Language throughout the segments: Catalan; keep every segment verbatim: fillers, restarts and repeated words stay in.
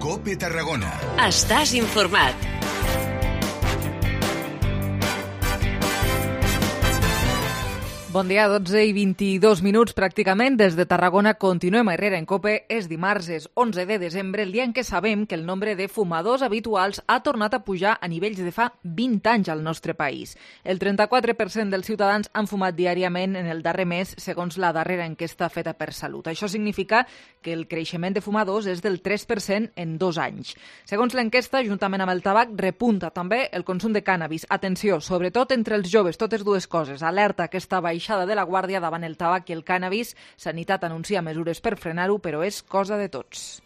COPE Tarragona. Estàs informat. Bon dia, dotze i vint-i-dos minuts pràcticament. Des de Tarragona continuem a Herrera en COPE. És dimarts, és onze de desembre, el dia en què sabem que el nombre de fumadors habituals ha tornat a pujar a nivells de fa vint anys al nostre país. El trenta-quatre per cent dels ciutadans han fumat diàriament en el darrer mes, segons la darrera enquesta feta per Salut. Això significa que el creixement de fumadors és del tres per cent en dos anys. Segons l'enquesta, juntament amb el tabac, repunta també el consum de cànnabis. Atenció, sobretot entre els joves, totes dues coses. Alerta aquesta baixada de la guàrdia davant el tabac i el cànnabis. Sanitat anuncia mesures per frenar-ho, però és cosa de tots.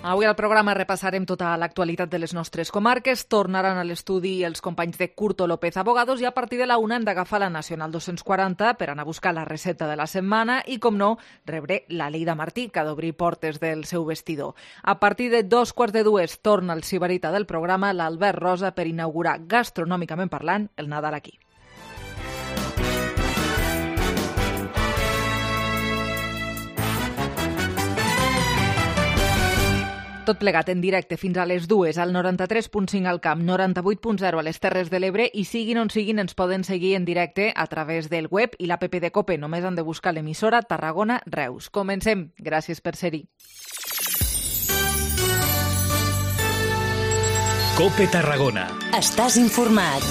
Avui al programa repassarem tota l'actualitat de les nostres comarques. Tornaran a l'estudi els companys de Curto López Abogados i a partir de la una hem d'agafar la Nacional dos-cents quaranta per anar a buscar la recepta de la setmana i, com no, rebré la Leida Martí, que ha d'obrir portes del seu vestidor. A partir de dos quarts de dues torna el sibarita del programa, l'Albert Rosa, per inaugurar gastronòmicament parlant el Nadal aquí. Tot plegat en directe fins a les dues al noranta-tres punt cinc al Camp, noranta-vuit punt zero a les Terres de l'Ebre i siguin on siguin ens poden seguir en directe a través del web i l'app de COPE. Només han de buscar l'emissora Tarragona Reus. Comencem. Gràcies per ser-hi. COPE Tarragona. Estàs informat.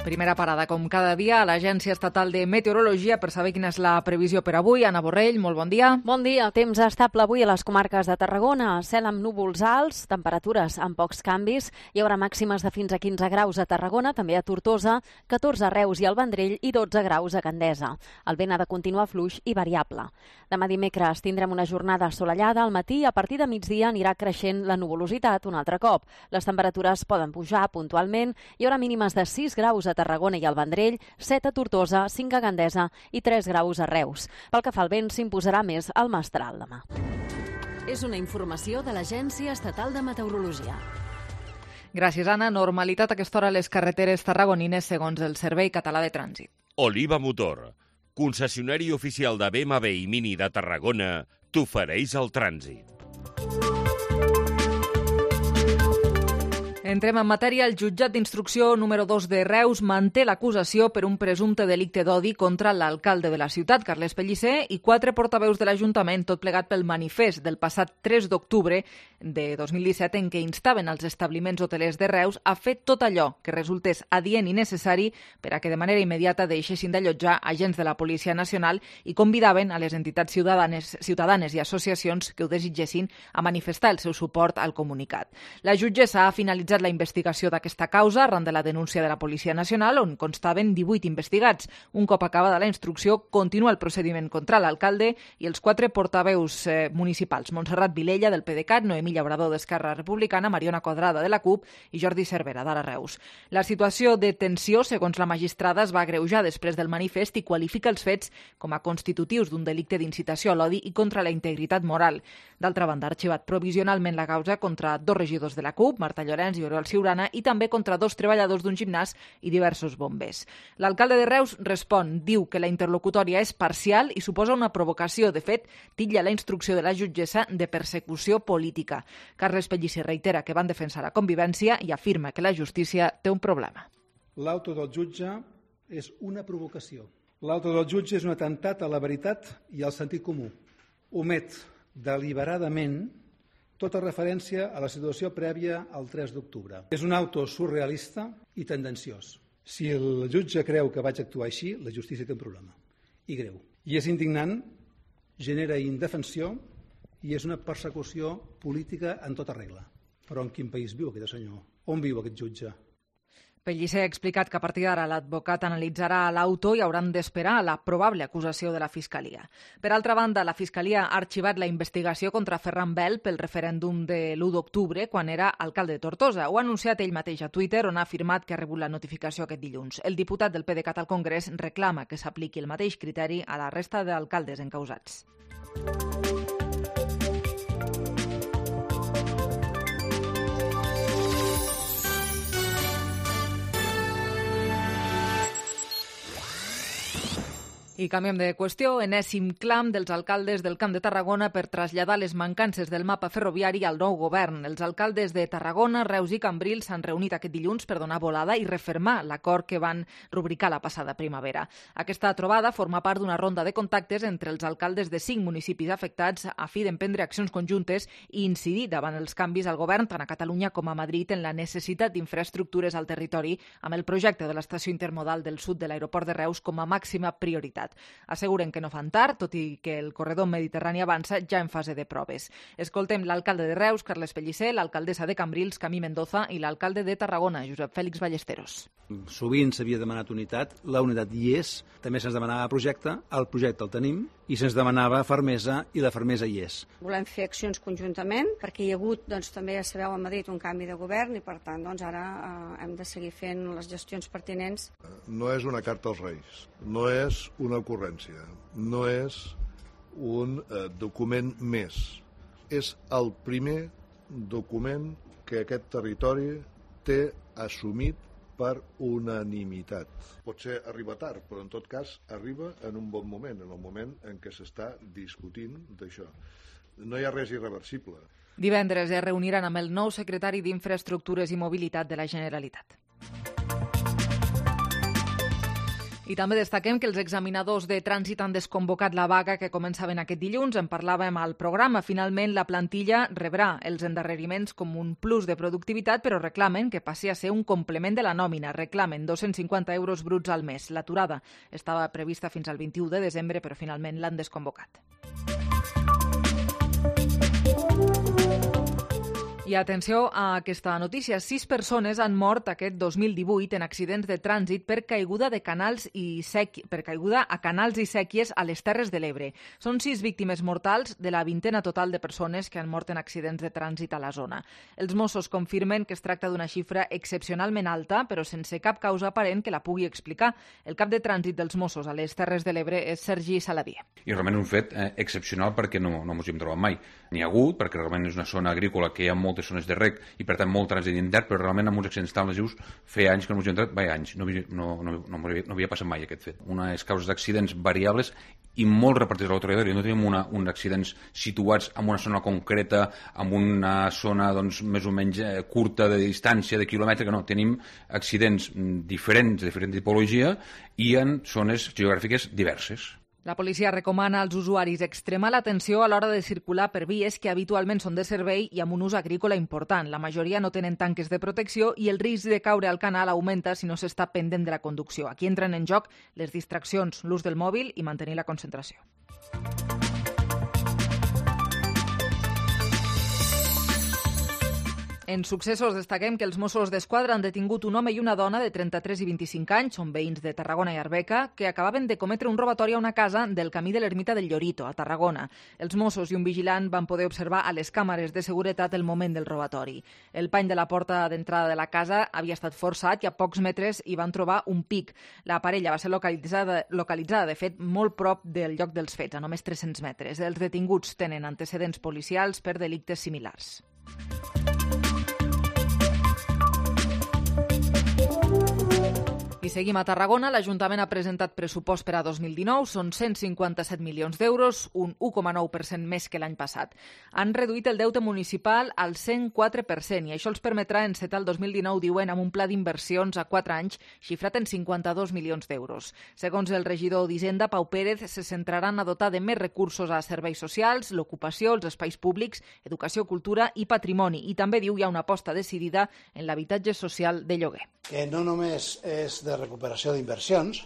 Primera parada, com cada dia, a l'Agència Estatal de Meteorologia per saber quina és la previsió per avui. Anna Borrell, molt bon dia. Bon dia. Temps estable avui a les comarques de Tarragona. Cel amb núvols alts, temperatures amb pocs canvis. Hi haurà màximes de fins a quinze graus a Tarragona, també a Tortosa, catorze a Reus i al Vendrell i dotze graus a Gandesa. El vent ha de continuar fluix i variable. Demà dimecres tindrem una jornada assolellada al matí. A partir de migdia anirà creixent la nuvolositat un altre cop. Les temperatures poden pujar puntualment. Hi haurà mínimes de sis graus a Tarragona i al Vendrell, set a Tortosa, cinc a Gandesa i tres graus a Reus. Pel que fa al vent, s'imposarà més el mestral demà. És una informació de l'Agència Estatal de Meteorologia. Gràcies, Anna. Normalitat a aquesta hora a les carreteres tarragonines segons el Servei Català de Trànsit. Oliva Motor, concessionari oficial de B M W i Mini de Tarragona, t'ofereix el trànsit. Entrem en matèria. El jutjat d'instrucció número dos de Reus manté l'acusació per un presumpte delicte d'odi contra l'alcalde de la ciutat, Carles Pellicer, i quatre portaveus de l'Ajuntament, tot plegat pel manifest del passat tres d'octubre de dos mil disset en què instaven els establiments hotelers de Reus a fer tot allò que resultés adient i necessari per a que de manera immediata deixessin d'allotjar agents de la Policia Nacional i convidaven a les entitats ciutadanes, ciutadanes i associacions que ho desitgessin a manifestar el seu suport al comunicat. La jutgessa ha finalitzat la investigació d'aquesta causa arran de la denúncia de la Policia Nacional, on constaven divuit investigats. Un cop acabada la instrucció, continua el procediment contra l'alcalde i els quatre portaveus eh, municipals: Montserrat Vilella, del PDeCAT, Noemí Llaurador, d'Esquerra Republicana, Mariona Quadrada, de la CUP, i Jordi Cervera, d'Ara Reus. La situació de tensió, segons la magistrada, es va agreujar després del manifest i qualifica els fets com a constitutius d'un delicte d'incitació a l'odi i contra la integritat moral. D'altra banda, ha arxivat provisionalment la causa contra dos regidors de la CUP, Marta Llorenç i Oriol Ciurana, i també contra dos treballadors d'un gimnàs i diversos bombers. L'alcalde de Reus respon, diu que la interlocutòria és parcial i suposa una provocació. De fet, titlla la instrucció de la jutgessa de persecució política. Carles Pellicer reitera que van defensar la convivència i afirma que la justícia té un problema. L'auto del jutge és una provocació. L'auto del jutge és un atemptat a la veritat i al sentit comú. Omet deliberadament tota referència a la situació prèvia al tres d'octubre. És un auto surrealista i tendenciós. Si el jutge creu que vaig actuar així, la justícia té un problema. I greu. I és indignant, genera indefensió i és una persecució política en tota regla. Però en quin país viu aquest senyor? On viu aquest jutge? Pellicer ha explicat que a partir d'ara l'advocat analitzarà l'auto i hauran d'esperar la probable acusació de la Fiscalia. Per altra banda, la Fiscalia ha arxivat la investigació contra Ferran Bel pel referèndum de l'u d'octubre, quan era alcalde de Tortosa. Ho ha anunciat ell mateix a Twitter, on ha afirmat que ha rebut la notificació aquest dilluns. El diputat del PDeCAT al Congrés reclama que s'apliqui el mateix criteri a la resta d'alcaldes encausats. I canviem de qüestió. Enèsim clam dels alcaldes del Camp de Tarragona per traslladar les mancances del mapa ferroviari al nou govern. Els alcaldes de Tarragona, Reus i Cambrils s'han reunit aquest dilluns per donar volada i refermar l'acord que van rubricar la passada primavera. Aquesta trobada forma part d'una ronda de contactes entre els alcaldes de cinc municipis afectats a fi d'emprendre accions conjuntes i incidir davant els canvis al govern tant a Catalunya com a Madrid en la necessitat d'infraestructures al territori amb el projecte de l'estació intermodal del sud de l'aeroport de Reus com a màxima prioritat. Asseguren que no fan tard, tot i que el corredor mediterrani avança ja en fase de proves. Escoltem l'alcalde de Reus, Carles Pellicer, l'alcaldessa de Cambrils, Camí Mendoza, i l'alcalde de Tarragona, Josep Fèlix Ballesteros. Sovint s'havia demanat unitat, la unitat hi és, també se'ns demanava projecte, el projecte el tenim, i se'ns demanava fermesa, i la fermesa hi és. Volem fer accions conjuntament, perquè hi ha hagut, doncs, també ja sabeu, a Madrid un canvi de govern, i per tant, doncs, ara eh, hem de seguir fent les gestions pertinents. No és una carta als Reis, no és una ocurrència, no és un eh, document més. És el primer document que aquest territori té assumit per unanimitat. Potser arriba tard, però en tot cas arriba en un bon moment, en el moment en què s'està discutint d'això. No hi ha res irreversible. Divendres es reuniran amb el nou secretari d'Infraestructures i Mobilitat de la Generalitat. I també destaquem que els examinadors de trànsit han desconvocat la vaga que començaven aquest dilluns. En parlàvem al programa. Finalment, la plantilla rebrà els endarreriments com un plus de productivitat, però reclamen que passi a ser un complement de la nòmina. Reclamen dos-cents cinquanta euros bruts al mes. L'aturada estava prevista fins al vint-i-u de desembre, però finalment l'han desconvocat. I atenció a aquesta notícia. Sis persones han mort aquest dos mil divuit en accidents de trànsit per caiguda de canals i sec... per caiguda a canals i sèquies a les Terres de l'Ebre. Són sis víctimes mortals de la vintena total de persones que han mort en accidents de trànsit a la zona. Els Mossos confirmen que es tracta d'una xifra excepcionalment alta, però sense cap causa aparent que la pugui explicar. El cap de trànsit dels Mossos a les Terres de l'Ebre és Sergi Saladier. I realment un fet eh, excepcional perquè no, no ens hi hem trobat mai. N'hi ha hagut, perquè realment és una zona agrícola que hi ha moltes zones de rec i per tant molt trànsit intern, però realment amb uns accidents tan lesius feia anys que no ens hi hem entrat, vaja, anys, no, no, no, no, no, no havia passat mai aquest fet. Unes causes d'accidents variables i molt repartits a l'autoritori. No tenim una, uns accidents situats en una zona concreta, en una zona doncs, més o menys eh, curta de distància, de quilòmetre, que no. Tenim accidents diferents, de diferent tipologia i en zones geogràfiques diverses. La policia recomana als usuaris extremar l'atenció a l'hora de circular per vies que habitualment són de servei i amb un ús agrícola important. La majoria no tenen tanques de protecció i el risc de caure al canal augmenta si no s'està pendent de la conducció. Aquí entren en joc les distraccions, l'ús del mòbil i mantenir la concentració. En successos destaquem que els Mossos d'Esquadra han detingut un home i una dona de trenta-tres i vint-i-cinc anys, són veïns de Tarragona i Arbeca, que acabaven de cometre un robatori a una casa del camí de l'Ermita del Llorito, a Tarragona. Els Mossos i un vigilant van poder observar a les càmeres de seguretat el moment del robatori. El pany de la porta d'entrada de la casa havia estat forçat i a pocs metres hi van trobar un pic. La parella va ser localitzada, localitzada de fet, molt prop del lloc dels fets, a només tres-cents metres. Els detinguts tenen antecedents policials per delictes similars. I seguim a Tarragona. L'Ajuntament ha presentat pressupost per a dos mil dinou. Són cent cinquanta-set milions d'euros, un u coma nou per cent més que l'any passat. Han reduït el deute municipal al cent quatre per cent i això els permetrà encetar el dos mil dinou, diuen, amb un pla d'inversions a quatre anys xifrat en cinquanta-dos milions d'euros. Segons el regidor d'Hisenda, Pau Pérez, se centraran a dotar de més recursos a serveis socials, l'ocupació, els espais públics, educació, cultura i patrimoni. I també diu hi ha una aposta decidida en l'habitatge social de lloguer. Que no només és de recuperació d'inversions,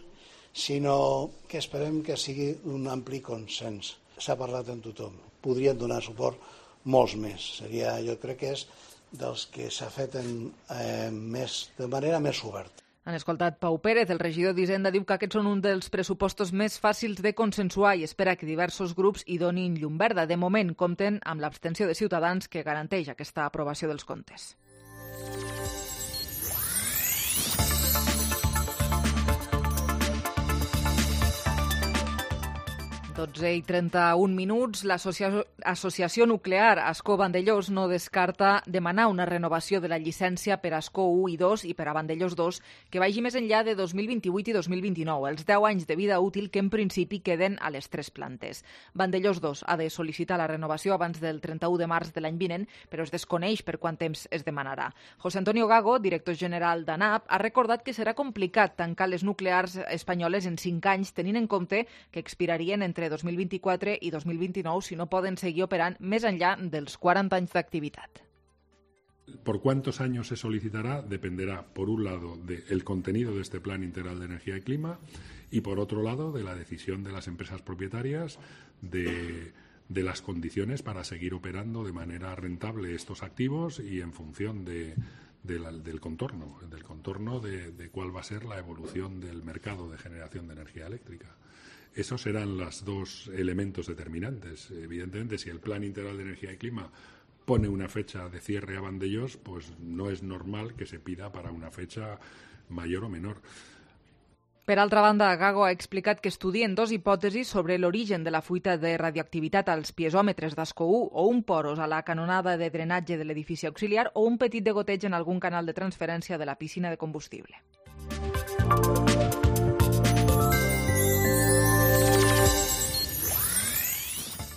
sinó que esperem que sigui un ampli consens. S'ha parlat amb tothom. Podrien donar suport molts més. Seria, jo crec que és dels que s'ha fet en, eh, més, de manera més oberta. Han escoltat Pau Pérez, el regidor d'Hisenda, diu que aquests són un dels pressupostos més fàcils de consensuar i espera que diversos grups hi donin llum verda. De moment compten amb l'abstenció de Ciutadans que garanteix aquesta aprovació dels comptes. dotze i trenta-un minuts. L'Associació Nuclear Ascó-Vandellòs no descarta demanar una renovació de la llicència per Ascó u i dos i per a Vandellòs dos que vagi més enllà de dos mil vint-i-vuit i dos mil vint-i-nou, els deu anys de vida útil que en principi queden a les tres plantes. Vandellòs dos ha de sol·licitar la renovació abans del trenta-u de març de l'any vinent, però es desconeix per quant temps es demanarà. José Antonio Gago, director general d'ANAP, ha recordat que serà complicat tancar les nuclears espanyoles en cinc anys, tenint en compte que expirarien entre dos mil vint-i-quatre i dos mil vint-i-nou si no poden seguir operant més enllà dels quaranta anys d'activitat. Por cuántos años se solicitará dependerá, por un lado, del contenido de este Plan Integral de Energía y Clima y, por otro lado, de la decisión de las empresas propietarias de, de las condiciones para seguir operando de manera rentable estos activos y en función de, de la, del contorno, del contorno de, de cuál va a ser la evolución del mercado de generación de energía eléctrica. Esos serán los dos elementos determinantes. Evidentemente, si el Plan Integral de Energía y Clima pone una fecha de cierre a Vandellòs, pues no es normal que se pida para una fecha mayor o menor. Per altra banda, Gago ha explicat que estudien dos hipòtesis sobre l'origen de la fuita de radioactivitat als piezòmetres d'Ascó u o un poros a la canonada de drenatge de l'edifici auxiliar o un petit degoteig en algun canal de transferència de la piscina de combustible.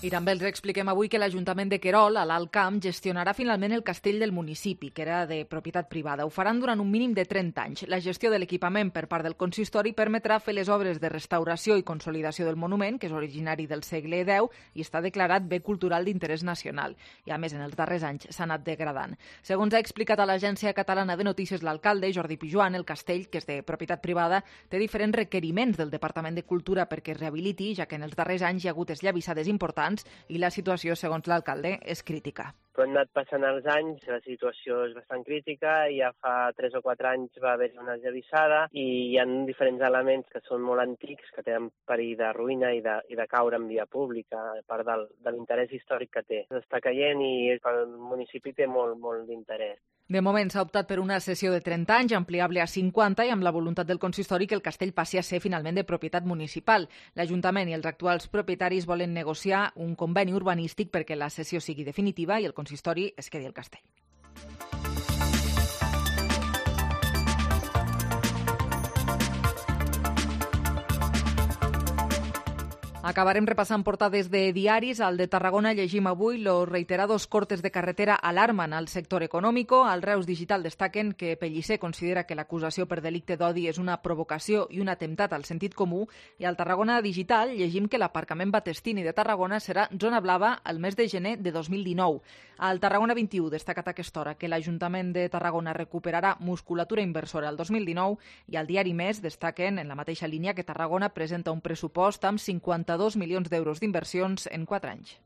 I també els expliquem avui que l'Ajuntament de Querol, a l'Alt Camp, gestionarà finalment el castell del municipi, que era de propietat privada. Ho faran durant un mínim de trenta anys. La gestió de l'equipament per part del consistori permetrà fer les obres de restauració i consolidació del monument, que és originari del segle deu i està declarat bé cultural d'interès nacional. I, a més, en els darrers anys s'ha anat degradant. Segons ha explicat a l'Agència Catalana de Notícies l'alcalde, Jordi Pijuan, el castell, que és de propietat privada, té diferents requeriments del Departament de Cultura perquè es rehabiliti, ja que en els darrers anys hi ha hagut esllavissades importants i la situació, segons l'alcalde, és crítica. Però han anat passant els anys, la situació és bastant crítica, i ja fa tres o quatre anys va haver una esllavissada i hi ha diferents elements que són molt antics, que tenen perill de ruïna i de, i de caure en via pública, a part del, de l'interès històric que té. S'està caient i pel municipi té molt, molt d'interès. De moment s'ha optat per una cessió de trenta anys, ampliable a cinquanta, i amb la voluntat del consistori que el castell passi a ser finalment de propietat municipal. L'Ajuntament i els actuals propietaris volen negociar un conveni urbanístic perquè la cessió sigui definitiva i el consistori es quedi al castell. Acabarem repassant portades de diaris. Al de Tarragona llegim avui: los reiterados cortes de carretera alarman al sector económico. Al Reus Digital destaquen que Pellicer considera que l'acusació per delicte d'odi és una provocació i un atemptat al sentit comú. I al Tarragona Digital llegim que l'aparcament Battestini de Tarragona serà zona blava el mes de gener de dos mil dinou. Al Tarragona vint-i-u destacat a aquesta hora que l'Ajuntament de Tarragona recuperarà musculatura inversora el dos mil dinou, i al diari Més destaquen en la mateixa línia que Tarragona presenta un pressupost amb cinquanta-dos milions d'euros d'inversions en quatre anys.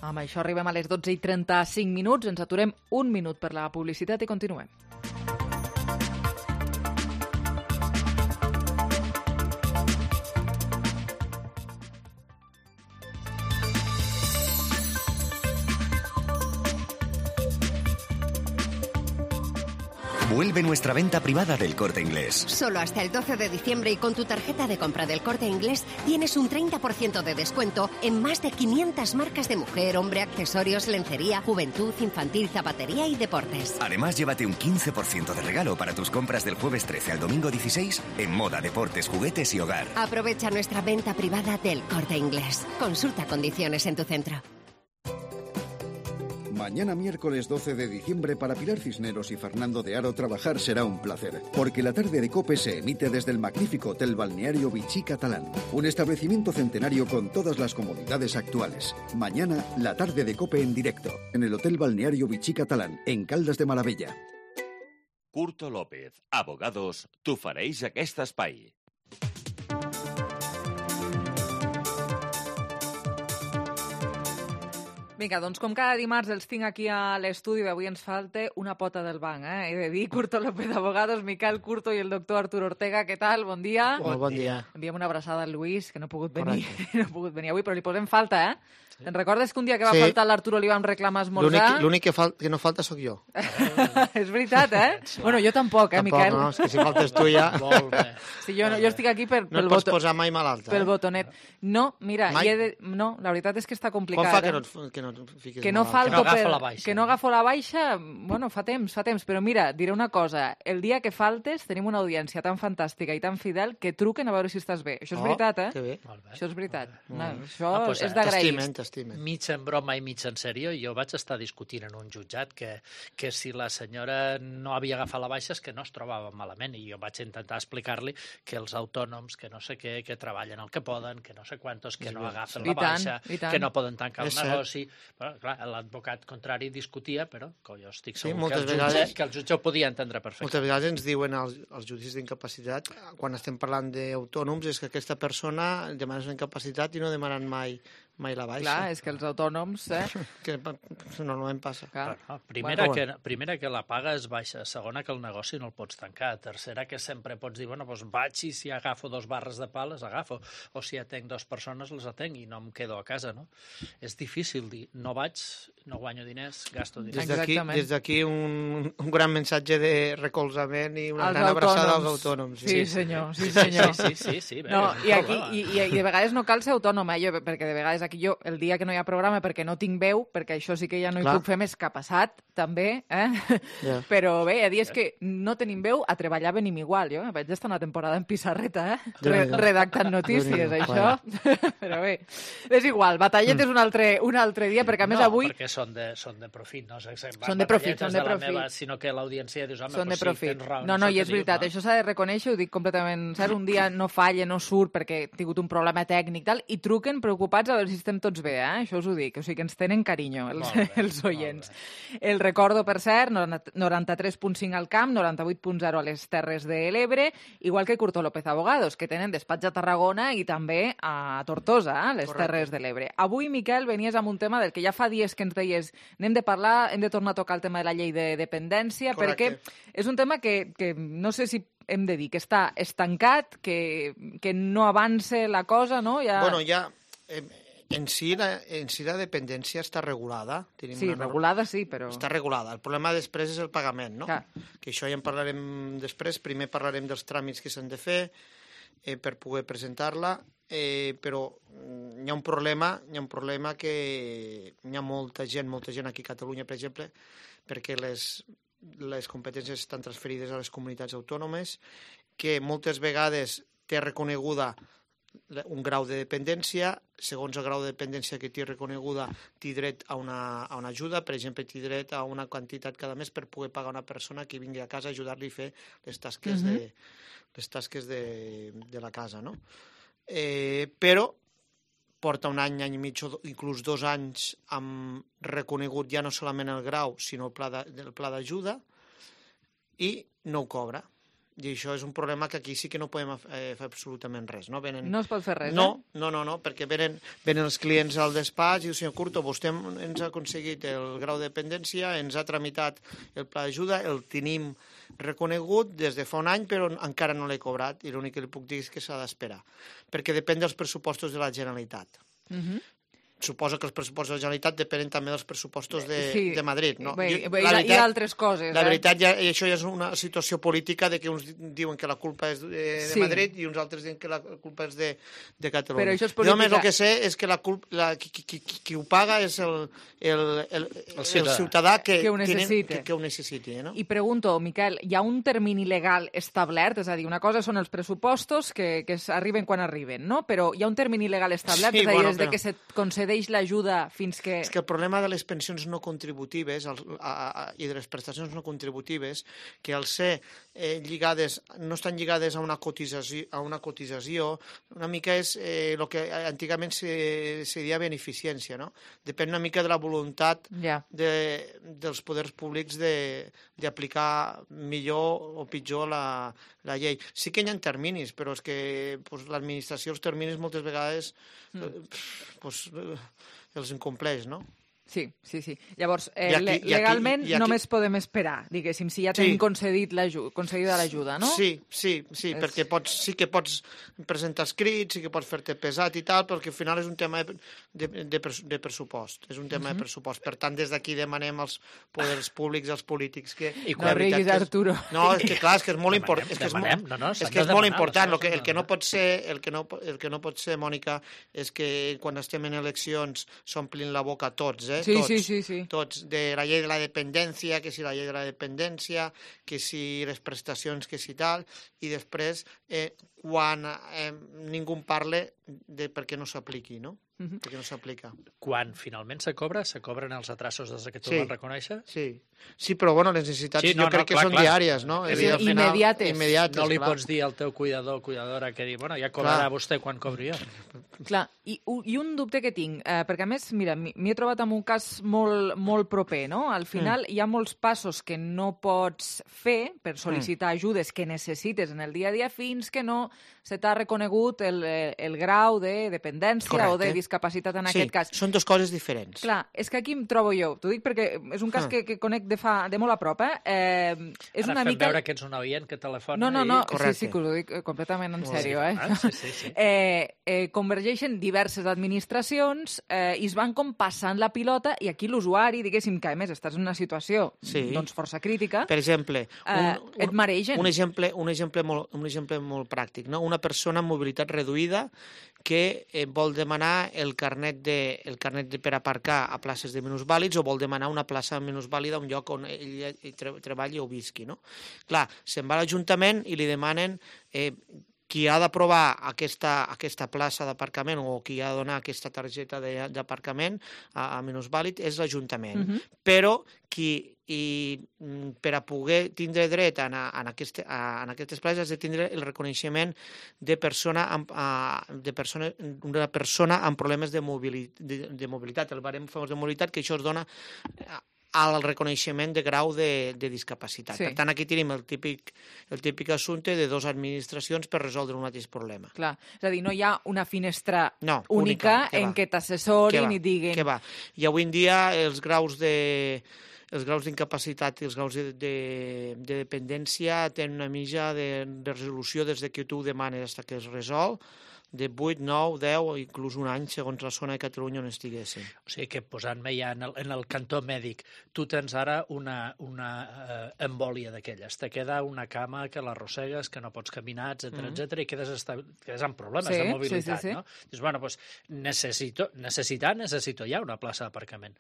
Amb això arribem a les dotze i trenta-cinc minuts. Ens aturem un minut per la publicitat i continuem. Vuelve nuestra venta privada del Corte Inglés. Solo hasta el doce de diciembre y con tu tarjeta de compra del Corte Inglés tienes un treinta por ciento de descuento en más de quinientas marcas de mujer, hombre, accesorios, lencería, juventud, infantil, zapatería y deportes. Además, llévate un quince por ciento de regalo para tus compras del jueves trece al domingo dieciséis en moda, deportes, juguetes y hogar. Aprovecha nuestra venta privada del Corte Inglés. Consulta condiciones en tu centro. Mañana miércoles doce de diciembre para Pilar Cisneros y Fernando de Aro trabajar será un placer, porque la tarde de COPE se emite desde el magnífico Hotel Balneario Vichy Catalán, un establecimiento centenario con todas las comodidades actuales. Mañana, la tarde de COPE en directo, en el Hotel Balneario Vichy Catalán, en Caldas de Malavella. Curto López, abogados, t'ofereix aquest espai. Vinga, doncs com cada dimarts els tinc aquí a l'estudi, avui ens falta una pota del banc, eh? He de dir, Curto López d'Abogados, Miquel Curto i el doctor Artur Ortega. Què tal? Bon dia. Molt bon dia. Enviem una abraçada al Lluís, que no ha pogut venir, no ha pogut venir avui, però li posem falta, eh? Te'n recordes que un dia que va sí. faltar l'Arturo li vam reclamar esmorzar? L'únic que, fal que no falta sóc jo. És veritat, eh? Sí. Bueno, jo tampoc, eh, tampoc, Miquel? No, és que si faltes tu ja... Molt bé. Sí, jo, no, jo estic aquí per, no pel, et pots boto... posar mai malalta. pel eh? botonet. No, mira, he de... no, la veritat és que està complicat. Quan fa que eh? no, que no et fiques que no malalta? falto Que no agafo per... la baixa. Que no agafo la baixa, bueno, fa temps, fa temps, però mira, diré una cosa, el dia que faltes tenim una audiència tan fantàstica i tan fidel que truquen a veure si estàs bé. Això és Oh, veritat, eh? que bé. Això és veritat. No, això Ah, pues, és d'agrair. T'estimen, t'estimen. Mig en broma i mig en sèrio, jo vaig estar discutint en un jutjat que, que si la senyora no havia agafat la baixa és que no es trobava malament, i jo vaig intentar explicar-li que els autònoms, que no sé què, que treballen el que poden, que no sé quantos, que no agafen I la baixa, tant, que no poden tancar el És cert. negoci... Però, clar, l'advocat contrari discutia, però que jo estic Sí, segur moltes que, el jutge, vegades- que el jutge ho podia entendre perfectament. Moltes vegades ens diuen als, als judicis d'incapacitat, quan estem parlant d'autònoms, és que aquesta persona demana una incapacitat i no demanen mai, mai la baixa. Clar, és que els autònoms, eh? Que normalment passa. Clar. No, primera, Bueno, que, primera que la paga és baixa, segona que el negoci no el pots tancar, tercera que sempre pots dir, bueno, doncs vaig i si agafo dos barres de pa les agafo, o si atenc dues persones les atenc i no em quedo a casa, no? És difícil dir, no vaig, no guanyo diners, gasto diners. Des d'aquí Exactament. des d'aquí un, un gran missatge de recolzament i una Els gran abraçada als autònoms. autònoms. Sí, senyor, sí, senyor. Sí, sí, sí, sí, bé, No, és un i, aquí, problema. i, i, i de vegades no cal ser autònoma, eh? jo, perquè de vegades aquí jo, el dia que no hi ha programa perquè no tinc veu, perquè això sí que ja no hi Clar. puc fer més que ha passat, també, eh? Ja. Però bé, hi ha dies que no tenim veu, a treballar venim igual, jo vaig estar una temporada en pissarreta, eh? Re Déu-n'hi-do. redactant notícies, Déu-n'hi-do, això. Però bé, és igual, batallet Mm. és un altre, un altre dia, perquè a més no, avui... perquè són de, són de profit, no sé, Són de profit, són de la profit. Meva, sinó que l'audiència dius, home, Són de pues sí, profit. tens raó, No, no, això i que és dius, veritat, no? això s'ha de reconèixer, ho dic completament cert, un dia no falla, no surt perquè he tingut un problema tècnic tal, i truquen preocupats a veure si estem tots bé, eh? Això us ho dic, o sigui que ens tenen carinyo, els, Molt bé, els oients. El recordo, per cert, noranta-tres punt cinc al Camp, noranta-vuit punt zero a les Terres de l'Ebre, igual que Curto López Abogados, que tenen despatx a Tarragona i també a Tortosa, a les Correcte. Terres de l'Ebre. Avui, Miquel, venies amb un tema del que ja fa dies que ens deies anem de parlar, hem de tornar a tocar el tema de la llei de dependència, Correcte. perquè és un tema que, que no sé si hem de dir que està estancat, que, que no avança la cosa, no? Ja... Bueno, ja... Eh, en si, la, en si la dependència està regulada. Tenim Sí, una norma- regulada sí, però... Està regulada. El problema després és el pagament, no? Clar. Que això ja en parlarem després. Primer parlarem dels tràmits que s'han de fer eh, per poder presentar-la, eh, però mm, hi ha un problema, hi ha un problema que hi ha molta gent, molta gent aquí a Catalunya, per exemple, perquè les, les competències estan transferides a les comunitats autònomes, que moltes vegades té reconeguda un grau de dependència, segons el grau de dependència que té reconeguda, té dret a una, a una ajuda, per exemple, té dret a una quantitat cada mes per poder pagar una persona que vingui a casa a ajudar-li a fer les tasques, Mhm. de, les tasques de, de la casa, no? Eh, però porta un any, any i mig, o do- inclús dos anys, amb reconegut ja no solament el grau, sinó el pla de- el pla d'ajuda, i no ho cobra. I això és un problema que aquí sí que no podem eh, fer absolutament res. No, venen... No es pot fer res, no, eh? No, no, no, perquè venen, venen els clients al despatx i diu, senyor Curto, vostè ens ha aconseguit el grau de dependència, ens ha tramitat el pla d'ajuda, el tenim reconegut des de fa un any, però encara no l'he cobrat, i l'únic que li puc dir és que s'ha d'esperar, perquè depèn dels pressupostos de la Generalitat. Mhm. Suposo que els pressupostos de la Generalitat depenen també dels pressupostos de, Sí. de Madrid. No? Bé, Jo- bé, la i, veritat- i altres coses, La eh? veritat, ja, i això ja és una situació política de que uns diuen que la culpa és de, de Sí. Madrid i uns altres diuen que la culpa és de, de Catalunya. Però això és Jo només política- el que sé és que la culpa, la, qui, qui, qui, qui ho paga és el, el, el, el, ciutadà. el ciutadà que, Que ho tenen- necessita. que, que ho necessiti. No? I pregunto, Miquel, hi ha un termini legal establert? És a dir, una cosa són els pressupostos que, que es- arriben quan arriben, no? Però hi ha un termini legal establert? Sí, és a dir, bueno, des de però- que se't concedeix l'ajuda fins que... És que el problema de les pensions no contributives el, a, a, i de les prestacions no contributives, que al ser eh, lligades, no estan lligades a una cotització, a una cotització una mica és el eh, que antigament se, se deia beneficència, no? Depèn una mica de la voluntat Ja. de, dels poders públics de- d'aplicar millor o pitjor la, la llei. Sí que hi ha terminis, però és que pues, l'administració els terminis moltes vegades eh, pues, eh, els incompleix, no? Sí, sí, sí. Llavors, eh, I aquí- i aquí- legalment i aquí- només podem esperar, diguéssim, si ja tenim Sí. concedit l'aju- concedida l'ajuda, no? Sí, sí, sí, És- perquè pots, sí que pots presentar escrits, sí que pots fer-te pesat i tal, perquè al final és un tema de, de, de, pres- de pressupost, és un tema Mhm. de pressupost. Per tant, des d'aquí demanem als poders públics, als polítics, que... I la no veritat riguis, que és- Arturo. No, és que clar, és que és molt Demanem, important. És que és, demanem. molt- No, no, és, s'han que de és molt demanar, important. les El que, coses el, que no- no pot ser, el, que no, el que no pot ser, Mònica, és que quan estem en eleccions s'omplin la boca tots, eh? Sí, tots, sí, sí, sí. Tots, de la llei de la dependència, que si la llei de la dependència, que si les prestacions, que si tal, i després, eh, quan eh, ningú en parle de per què no s'apliqui, no? Mhm. Perquè no s'aplica. Quan finalment se cobra, se cobren els atrasos des que tu Sí. vas reconèixer? Sí. Sí, però bueno, les necessitats Sí, no, jo crec no, que clar, són clar. diàries, no? És I al final- immediates. immediates, No li clar. pots dir al teu cuidador o cuidadora que dir, bueno, ja cobrarà Clar. vostè quan cobri jo. Clar, i, i un dubte que tinc, eh, perquè a més, mira, m'hi m'hi he trobat amb un cas molt, molt proper, no? Al final Mm. hi ha molts passos que no pots fer per sol·licitar ajudes que necessites en el dia a dia fins que no se t'ha reconegut el, eh, el grau de dependència Correcte. o de discapacitat en Sí, aquest cas. són dues coses diferents. Clar, és que aquí em trobo jo. T'ho dic perquè és un cas Ah. que, que conec de, fa, de molt a prop, eh? eh és Ara una fem mica... veure que ets un oient que telefona No, no, no, i... sí, sí, que us ho dic eh, completament en Sí, sèrio, eh? ah, sí, sí, sí. eh, eh convergeixen diverses administracions eh, i es van com passant la pilota i aquí l'usuari, diguéssim, que a més estàs en una situació Sí. doncs força crítica, Per exemple, eh, et maregen. un exemple, un exemple, molt, un exemple molt pràctic, no? Una persona amb mobilitat reduïda que eh, vol demanar el carnet, de, el carnet de, per aparcar a places de minusvàlids o vol demanar una plaça minusvàlida a un lloc on ell, ell tre- treballi o visqui, no? Clar, se'n va a l'Ajuntament i li demanen eh, qui ha d'aprovar aquesta, aquesta plaça d'aparcament o qui ha de donar aquesta targeta de- d'aparcament a, a minusvàlid és l'Ajuntament. Mhm. Però qui i mm, per a poder tindre dret en, a, en, aquest, a, en aquestes places has de tindre el reconeixement de persona amb, a, de persona, una persona amb problemes de, mobili, de, de mobilitat, el barem famós de mobilitat, que això es dona al reconeixement de grau de, de discapacitat. Sí. Per tant, aquí tenim el típic, el típic assumpte de dues administracions per resoldre un mateix problema. Clar, és a dir, no hi ha una finestra No, única, única, que en va. què Què t'assessorin va? i diguin... Què va? I avui en dia els graus de els graus d'incapacitat i els graus de, de, de dependència tenen una mitja de, de resolució des de que tu ho demanes fins que es resol, de vuit, nou, deu o inclús un any, segons la zona de Catalunya on estiguessin. O sigui que posant-me ja en el, en el cantó mèdic, tu tens ara una, una eh, embòlia d'aquelles, te queda una cama que l'arrossegues, que no pots caminar, etcètera, Mhm. etcètera, i quedes, esta... quedes amb problemes Sí, de sí, mobilitat, sí, sí. no? Dius, bueno, doncs necessito, necessitar, necessito ja una plaça d'aparcament.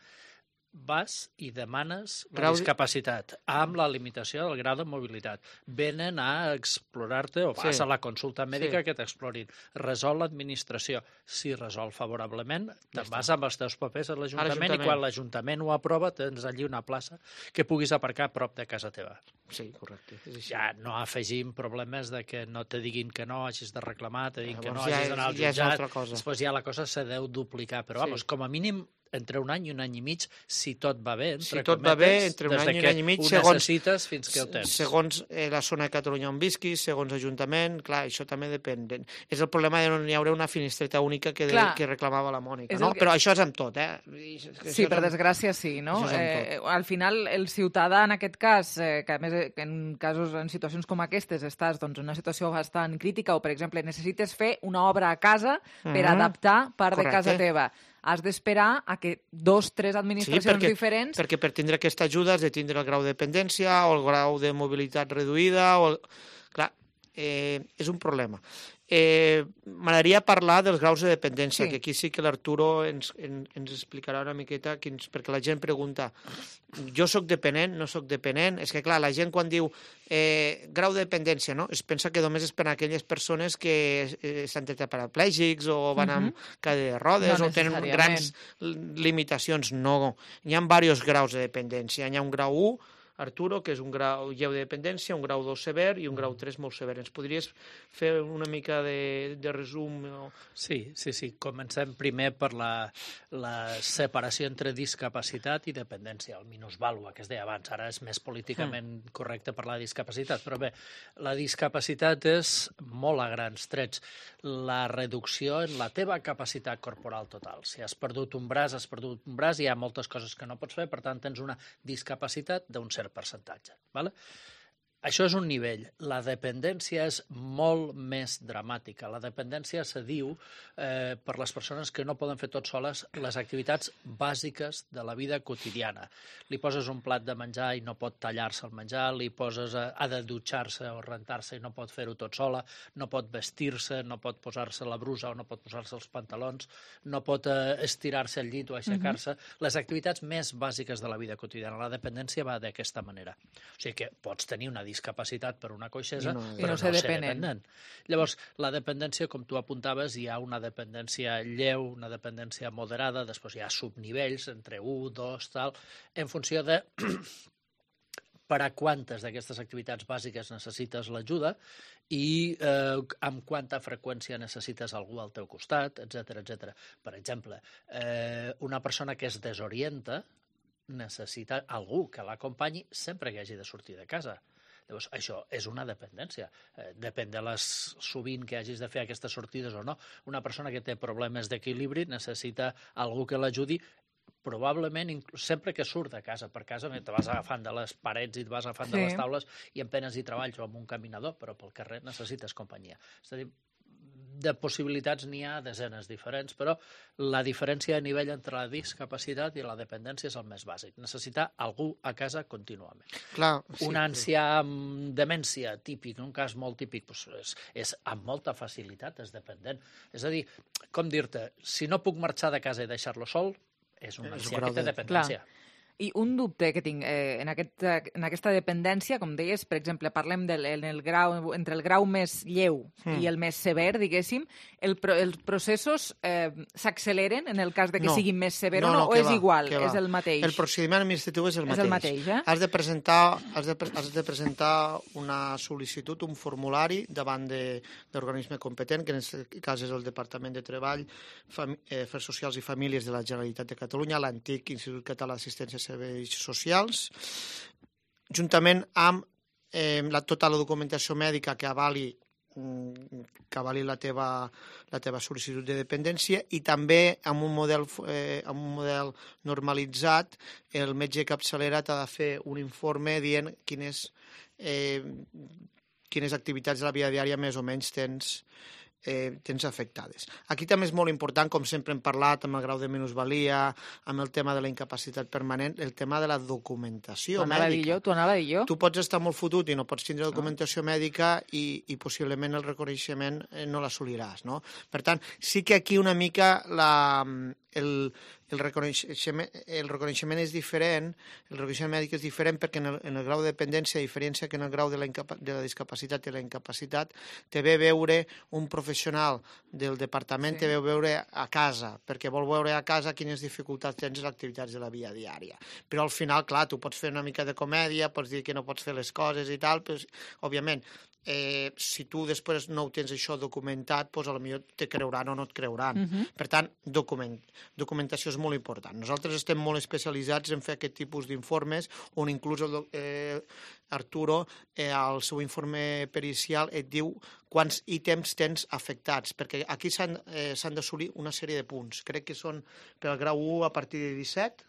Vas i demanes la Grau- discapacitat amb la limitació del grau de mobilitat. Venen a explorar-te o vas Sí. a la consulta mèdica Sí. que t'explorin. Resol l'administració. Si resol favorablement, te'n està. vas amb els teus papers a l'Ajuntament i l'Ajuntament. quan l'Ajuntament ho aprova tens allí una plaça que puguis aparcar a prop de casa teva. Sí, correcte. És així. Ja no afegim problemes de que no te diguin que no, hagis de reclamar, te diguin que no, Llavors ja hagis d'anar al és- ja és jutjat. altra cosa. Després ja la cosa se deu duplicar, però Sí. vamos, com a mínim entre un any i un any i mig, si tot va bé, entre Si tot va bé, cometes, entre un des any de i un que any i mig, ho segons- necessites fins que ho tens. Segons eh, la zona de Catalunya on visquis, segons Ajuntament, clar, això també depèn. De... És el problema de no hi haurà una finestreta única que, de, Clar. que reclamava la Mònica, És no? el que- Però això és amb tot, eh? I és que Sí, això per és amb- desgràcia sí, no? Això és amb Eh, al final, el ciutadà, en aquest cas, eh, que a més eh, que en casos, en situacions com aquestes, estàs doncs, en una situació bastant crítica o, per exemple, necessites fer una obra a casa per Mhm. adaptar part de Correcte. casa teva. Has d'esperar a que dos, tres administracions perquè, diferents... perquè per tindre aquesta ajuda has de tindre el grau de dependència o el grau de mobilitat reduïda. O el... Clar, eh, és un problema. Eh, M'agradaria parlar dels graus de dependència, Sí. que aquí sí que l'Arturo ens, en, ens explicarà una miqueta, quins, perquè la gent pregunta, jo sóc dependent, no sóc dependent? És que, clar, la gent quan diu eh, grau de dependència, no? Es pensa que només és per a aquelles persones que eh, estan tetraparaplégics o van amb cadira de rodes No o tenen necessàriament. grans limitacions. No, hi ha diversos graus de dependència. Hi ha un grau u, Arturo, que és un grau lleu de dependència, un grau dos sever i un grau tres molt sever. Ens podries fer una mica de, de resum? O... Sí, sí, sí. Comencem primer per la, la separació entre discapacitat i dependència, el minusvàlua, que es deia abans. Ara és més políticament mm. correcte parlar de discapacitat, però bé, la discapacitat és molt a grans trets la reducció en la teva capacitat corporal total. Si has perdut un braç, has perdut un braç, hi ha moltes coses que no pots fer, per tant, tens una discapacitat d'un cert percentatge. Vale? Això és un nivell. La dependència és molt més dramàtica. La dependència se diu eh, per les persones que no poden fer tot soles les activitats bàsiques de la vida quotidiana. Li poses un plat de menjar i no pot tallar-se el menjar, li poses, a, ha de dutxar-se o rentar-se i no pot fer-ho tot sola, no pot vestir-se, no pot posar-se la brusa o no pot posar-se els pantalons, no pot eh, estirar-se al llit o aixecar-se. Uh-huh. Les activitats més bàsiques de la vida quotidiana. La dependència va d'aquesta manera. O sigui que pots tenir una discapacitat per una coixesa, no, però no ser dependent. dependent. Llavors, la dependència, com tu apuntaves, hi ha una dependència lleu, una dependència moderada, després hi ha subnivells entre un, dos, tal, en funció de per a quantes d'aquestes activitats bàsiques necessites l'ajuda i eh, amb quanta freqüència necessites algú al teu costat, etcètera, etcètera. Per exemple, eh, una persona que es desorienta necessita algú que l'acompanyi sempre que hagi de sortir de casa. Llavors, això és una dependència. Eh, depèn de les sovint que hagis de fer aquestes sortides o no. Una persona que té problemes d'equilibri necessita algú que l'ajudi, probablement sempre que surt de casa. Per casa te vas agafant de les parets i et vas agafant sí. de les taules i en penes hi treballs o amb un caminador, però pel carrer necessites companyia. És a dir, de possibilitats n'hi ha desenes diferents, però la diferència a nivell entre la discapacitat i la dependència és el més bàsic. Necessitar algú a casa contínuament. Clar, sí, un ancià amb demència típic, un cas molt típic, doncs és, és amb molta facilitat, és dependent. És a dir, com dir-te, si no puc marxar de casa i deixar-lo sol, és un ancià que té dependència. Clar. I un dubte que tinc eh, en, aquest, en aquesta dependència, com deies, per exemple, parlem del, en el grau, entre el grau més lleu mm. i el més sever, diguéssim, el, els processos eh, s'acceleren en el cas de que no. siguin més severs no, no, o és va, igual, és el mateix? El procediment administratiu és el mateix. És el mateix, eh? Has de presentar, has de, has de presentar una sol·licitud, un formulari davant d'organisme competent, que en aquest cas és el Departament de Treball, Fam eh, Afers Socials i Famílies de la Generalitat de Catalunya, l'antic Institut Català d'Assistència Serveis Socials, juntament amb eh, la, tota la documentació mèdica que avali, que avali la, teva, la teva sol·licitud de dependència i també amb un model, eh, amb un model normalitzat, el metge capçalera t'ha de fer un informe dient quines, eh, quines activitats de la vida diària més o menys tens Eh, tens afectades. Aquí també és molt important, com sempre hem parlat, amb el grau de minusvalia, amb el tema de la incapacitat permanent, el tema de la documentació mèdica. T'ho anava a dir jo. Tu pots estar molt fotut i no pots tindre documentació no. mèdica i, i possiblement el reconeixement no l'assoliràs, no? Per tant, sí que aquí una mica la, el, el, reconeixement, el reconeixement és diferent, el reconeixement mèdic és diferent perquè en el, en el grau de dependència, a diferència que en el grau de la, de la discapacitat i la incapacitat, te ve veure un professional del departament, sí. te ve veure a casa, perquè vol veure a casa quines dificultats tens en les activitats de la vida diària. Però al final, clar, tu pots fer una mica de comèdia, pots dir que no pots fer les coses i tal, però, òbviament, Eh, si tu després no ho tens això documentat, doncs potser te creuran o no et creuran. Uh-huh. Per tant, document, documentació és molt important. Nosaltres estem molt especialitzats en fer aquest tipus d'informes, on inclús el, eh, Arturo, eh, al seu informe pericial, et diu quants ítems tens afectats, perquè aquí s'han eh, d'assolir una sèrie de punts. Crec que són per al grau u a partir de disset,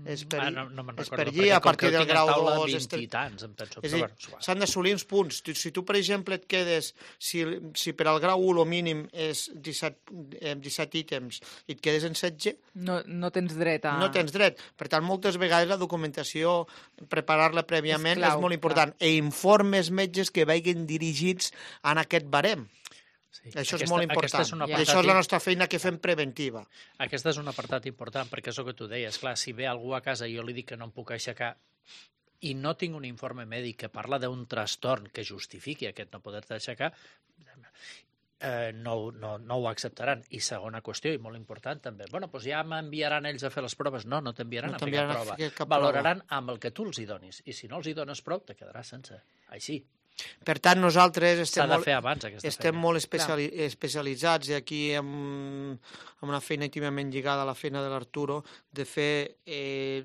és per, ah, no, no me'n és recordo, per allí, a partir del grau dos... vint i tants, em penso. És a dir, s'han d'assolir uns punts. Si tu, per exemple, et quedes... Si, si per al grau u el mínim és disset, eh, disset ítems i et quedes en setze... No, no tens dret a... No tens dret. Per tant, moltes vegades la documentació, preparar-la prèviament, és, clau, és molt important. Clar. E informes metges que vagin dirigits en aquest barem. Sí. Això és aquesta, molt important. És I això és la nostra feina que fem preventiva. Aquesta és un apartat important, perquè és el que tu deies. Clar, si ve algú a casa i jo li dic que no em puc aixecar i no tinc un informe mèdic que parla d'un trastorn que justifiqui aquest no poder-te aixecar, eh, no, no, no ho acceptaran. I segona qüestió, i molt important també, bueno, doncs ja m'enviaran ells a fer les proves. No, no t'enviaran No a fer t'enviaran cap a prova. fer cap Valoraran amb el que tu els hi donis. I si no els hi dones prou, te quedaràs sense. Així. Per tant, nosaltres estem, S'ha de molt, fer abans, aquesta estem feina. molt especiali especialitzats i aquí amb, amb una feina íntimament lligada a la feina de l'Arturo de fer eh,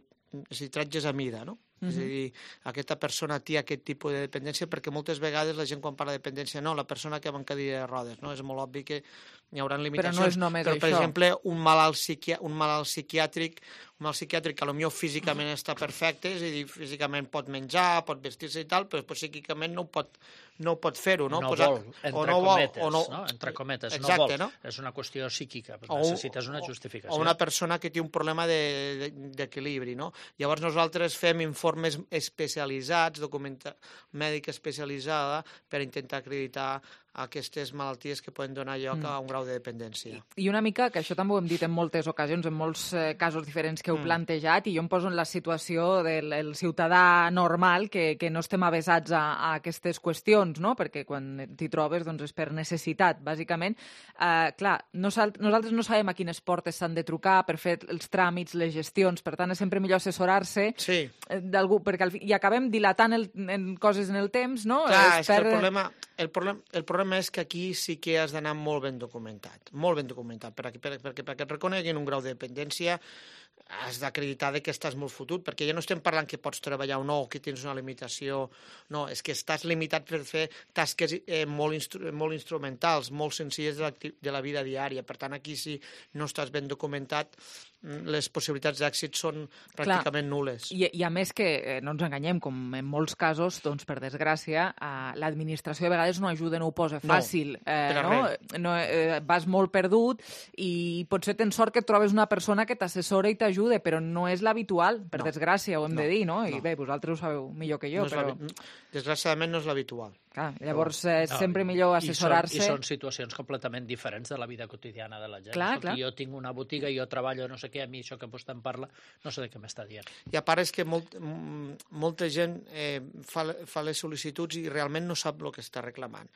tratges a mida, no? Uh -huh. És a dir, aquesta persona té aquest tipus de dependència, perquè moltes vegades la gent quan parla de dependència, no, la persona que va en cadira de rodes, no? És molt obvi que hi haurà limitacions. Però no és només però, per això. exemple, un malalt, psiqui un malalt psiquiàtric, un malalt psiquiàtric que potser físicament està perfecte, és a dir, físicament pot menjar, pot vestir-se i tal, però psíquicament no ho pot, no ho pot fer-ho, no? No Posar, vol, entre o no vol, cometes, o no, no? Entre cometes, exacte, no vol. No? És una qüestió psíquica, O un- necessites una justificació. O una persona que té un problema d'equilibri, no? Llavors nosaltres fem informes especialitzats, documenta mèdica especialitzada, per intentar acreditar aquestes malalties que poden donar lloc Mm. a un grau de dependència. I una mica, que això també ho hem dit en moltes ocasions, en molts eh, casos diferents que heu Mm. plantejat, i jo em poso en la situació del el ciutadà normal, que, que no estem avesats a, a aquestes qüestions, no? Perquè quan t'hi trobes doncs és per necessitat, bàsicament. Eh, clar, nosal nosaltres no sabem a quines portes s'han de trucar per fer els tràmits, les gestions, per tant és sempre millor assessorar-se sí. d'algú, perquè al fi, i acabem dilatant el, en coses en el temps, no? Clar, Es és que el perd- problema, el, problema, el problema és que aquí sí que has d'anar molt ben documentat, molt ben documentat, perquè, perquè, perquè, perquè et reconeguin un grau de dependència has d'acreditar que estàs molt fotut, perquè ja no estem parlant que pots treballar o no, o que tens una limitació, no, és que estàs limitat per fer tasques eh, molt, instru molt instrumentals, molt senzilles de la, de la vida diària. Per tant, aquí si no estàs ben documentat, les possibilitats d'èxit són pràcticament nules. I, I a més que, eh, no ens enganyem, com en molts casos, doncs, per desgràcia, eh, l'administració a vegades no ajuda, no ho posa fàcil. No, eh, per a no? res. No, eh, vas molt perdut i potser tens sort que et trobes una persona que t'assessora i t'ajuda, però no és l'habitual, per No. desgràcia, ho hem No, de dir, no? I no. bé, vosaltres ho sabeu millor que jo, No és però... l'habi- Desgraciadament no és l'habitual. Clar, llavors és No, sempre millor i són- assessorar-se. I són situacions completament diferents de la vida quotidiana de la gent. Clar, Escolti, clar. jo tinc una botiga, jo treballo no sé què, a mi això que vostè em parla, no sé de què m'està dient. I a part és que molt, m- molta gent eh, fa, fa les sol·licituds i realment no sap el que està reclamant.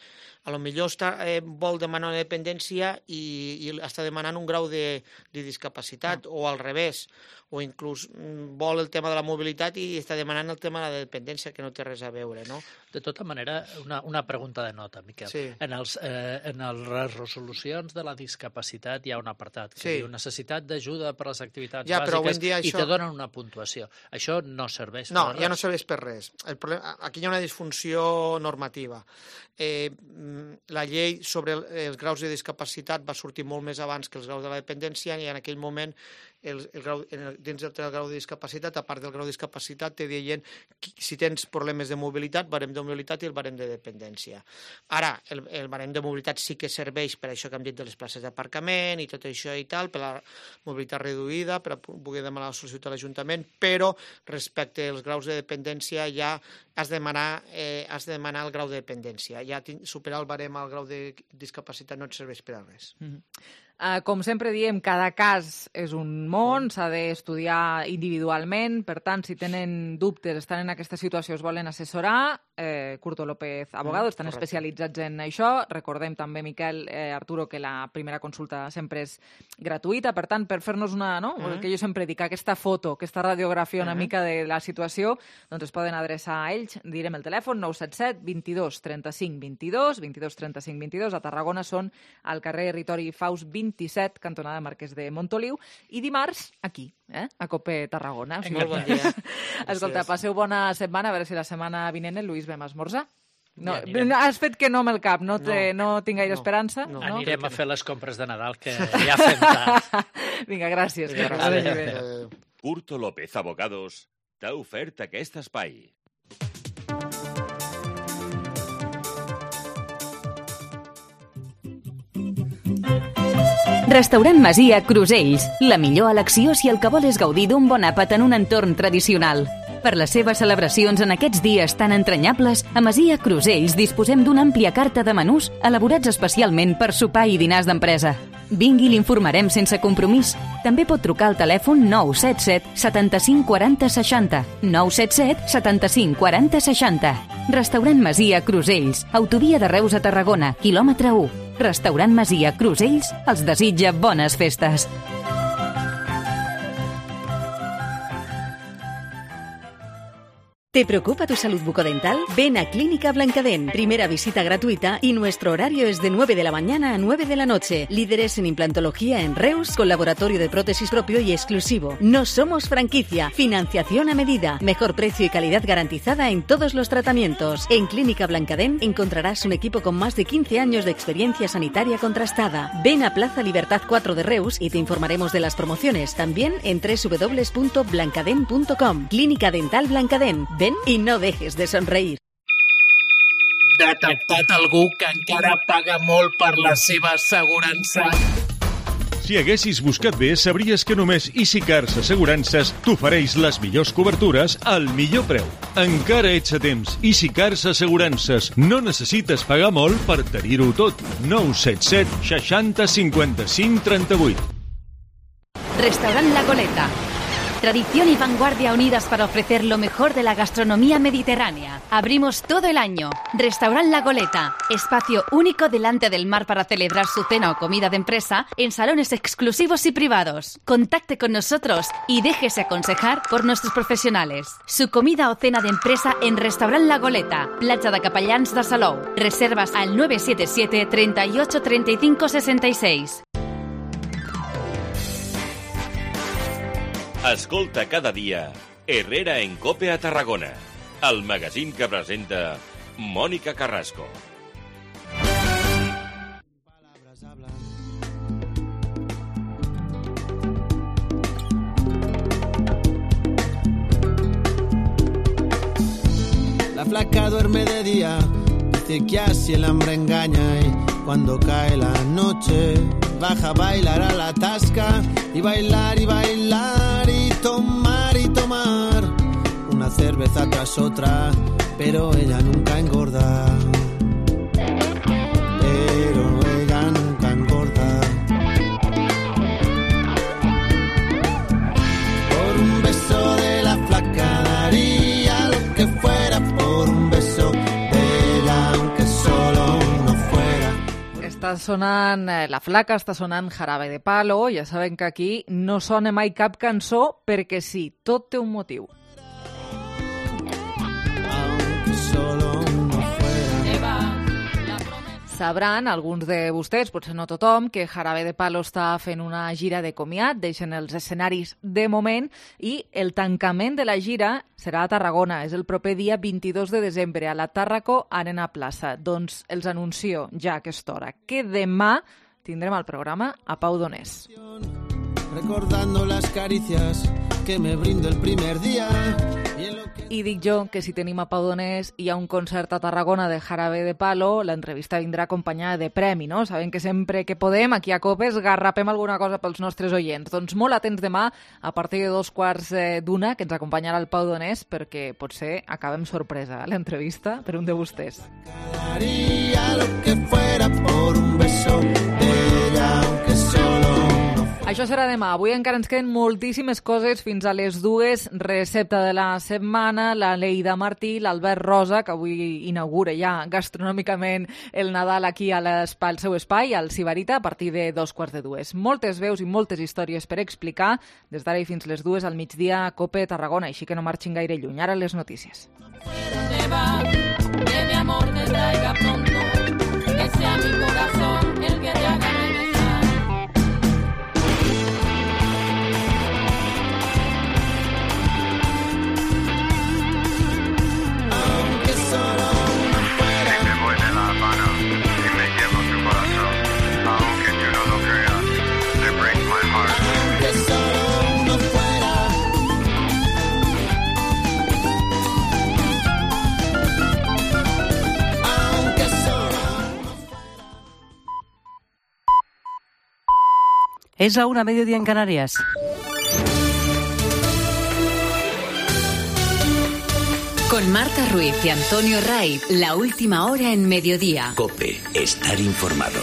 A lo millor està, eh, vol demanar una dependència i, i està demanant un grau de, de discapacitat, Ah. o al revés, o inclús mm, vol el tema de la mobilitat i està demanant el tema de la dependència, que no té res a veure, no? De tota manera, una, una pregunta de nota, Miquel. Sí. En, els, eh, en les resolucions de la discapacitat hi ha un apartat que Sí. diu necessitat d'ajuda per a les activitats Ja, però avui bàsiques en dia i això- te donen una puntuació. Això no serveix No, per ja no res. serveix per res. El problema, aquí hi ha una disfunció normativa. Eh, mm, la llei sobre el, els graus de discapacitat va sortir molt més abans que els graus de la dependència i en aquell moment el, el grau, en el, dins del grau de discapacitat, a part del grau de discapacitat, te deien qui- si tens problemes de mobilitat, barem de mobilitat i el barem de dependència. Ara, el, el barem de mobilitat sí que serveix per això que hem dit de les places d'aparcament i tot això i tal, per la mobilitat reduïda, per a pu- poder demanar la sol·licitud a l'Ajuntament, però respecte als graus de dependència ja has de demanar, eh, has de demanar el grau de dependència. Ja tin- superar el barem al grau de discapacitat no et serveix per a res. Mhm. Uh, com sempre diem, cada cas és un món, s'ha d'estudiar individualment, per tant, si tenen dubtes, estan en aquesta situació, es volen assessorar, eh, Curto López Abogado, estan correcte. especialitzats en això. Recordem també, Miquel, eh, Arturo, que la primera consulta sempre és gratuïta, per tant, per fer-nos una, no? Mhm. El que jo sempre dic, aquesta foto, aquesta radiografia una Mhm. mica de la situació, doncs es poden adreçar a ells, direm el telèfon nou set set, vint-i-dos, trenta-cinc, vint-i-dos, vint-i-dos, trenta-cinc, vint-i-dos, a Tarragona són al carrer Ritori Faust vint-i-set, cantonada Marquès de Montoliu, i dimarts aquí, eh? a Cope Tarragona. Molt bon dia. Escolta, Gràcies. passeu bona setmana, a veure si la setmana vinent el Lluís vam a esmorzar. No, Ja anirem. has fet que no amb el cap, no, té, no. no tinc gaire esperança. No. Anirem a fer les compres de Nadal, que ja fem tard. Vinga, gràcies. Que Vinga, vagi adéu. bé. Curto López Abogados t'ha ofert aquest espai. Restaurant Masia Crusells, la millor elecció si el que vol és gaudir d'un bon àpat en un entorn tradicional. Per les seves celebracions en aquests dies tan entranyables, a Masia Crusells disposem d'una àmplia carta de menús elaborats especialment per sopar i dinars d'empresa. Vingui i l'informarem sense compromís. També pot trucar al telèfon nou set set, setanta-cinc, quaranta, seixanta. nou set set, setanta-cinc, quaranta, seixanta. Restaurant Masia Crusells, autovia de Reus a Tarragona, quilòmetre u. Restaurant Masia Crusells els desitja bones festes. ¿Te preocupa tu salud bucodental? Ven a Clínica Blancadent. Primera visita gratuita y nuestro horario es de nueve de la mañana a nueve de la noche. Líderes en implantología en Reus, con laboratorio de prótesis propio y exclusivo. No somos franquicia. Financiación a medida. Mejor precio y calidad garantizada en todos los tratamientos. En Clínica Blancadent encontrarás un equipo con más de quince años de experiencia sanitaria contrastada. Ven a Plaza Libertad cuatro de Reus y te informaremos de las promociones. También en doble u doble u doble u punto blancadent punto com. Clínica Dental Blancadent. Ven i no dejes de somreír. Detectat algú que encara paga molt per la seva assegurança. Si haguessis buscat bé, sabries que només EasyCars Assegurances t'ofereix les millors cobertures al millor preu. Encara ets a temps. EasyCars Assegurances. No necessites pagar molt per tenir-ho tot. nou set set seixanta cinquanta cinc trenta vuit. Restaurant La Goleta. Tradición y vanguardia unidas para ofrecer lo mejor de la gastronomía mediterránea. Abrimos todo el año. Restaurant La Goleta. Espacio único delante del mar para celebrar su cena o comida de empresa en salones exclusivos y privados. Contacte con nosotros y déjese aconsejar por nuestros profesionales. Su comida o cena de empresa en Restaurant La Goleta. Platja de Capellans de Salou. Reservas al nueve siete siete, treinta y ocho, treinta y cinco, sesenta y seis. Escolta cada dia Herrera en Cope a Tarragona, el magazín que presenta Mònica Carrasco. La flaca duerme de día, dice que así el hambre engaña y cuando cae la noche baja a bailar a la tasca y bailar y bailar y tomar y tomar una cerveza tras otra, pero ella nunca engorda. Pero ella nunca engorda. Por un beso de la flaca daría lo que fuera por un beso de ella, aunque solo uno fuera. Està sonant eh, La Flaca, està sonant Jarabe de Palo. Ja saben que aquí no sona mai cap cançó perquè sí, tot té un motiu. Sabran alguns de vostès, potser no tothom, que Jarabe de Palo està fent una gira de comiat, deixen els escenaris de moment i el tancament de la gira serà a Tarragona. És el proper dia vint-i-dos de desembre a la Tàrraco Arena Plaça. Doncs els anuncio ja a aquesta hora que demà tindrem al programa a Pau Donés. Recordando las caricias que me brindo el primer día. I dic jo que si tenim a Pau Donés i hi ha un concert a Tarragona de Jarabe de Palo, l'entrevista vindrà acompanyada de premi, no? Sabem que sempre que podem, aquí a Copes, garrapem alguna cosa pels nostres oients. Doncs molt atents demà, a partir de dos quarts d'una, que ens acompanyarà el Pau Donés, perquè potser acabem sorpresa l'entrevista per un de vostès. Daría lo que fuera por un beso de ella, aunque solo. Això serà demà. Avui encara ens queden moltíssimes coses fins a les dues. Recepta de la setmana, la Leida Martí, l'Albert Rosa, que avui inaugura ja gastronòmicament el Nadal aquí a l'espai, al seu espai, al Sibarita, a partir de dos quarts de dues. Moltes veus i moltes històries per explicar, des d'ara i fins les dues al migdia a Cope Tarragona, així que no marxin gaire lluny. Ara les notícies. Que mi amor te traiga pronto, que sea mi corazón el que te haga regresar. Es la una, mediodía en Canarias. Con Marta Ruiz y Antonio Ray, la última hora en mediodía. COPE, estar informado.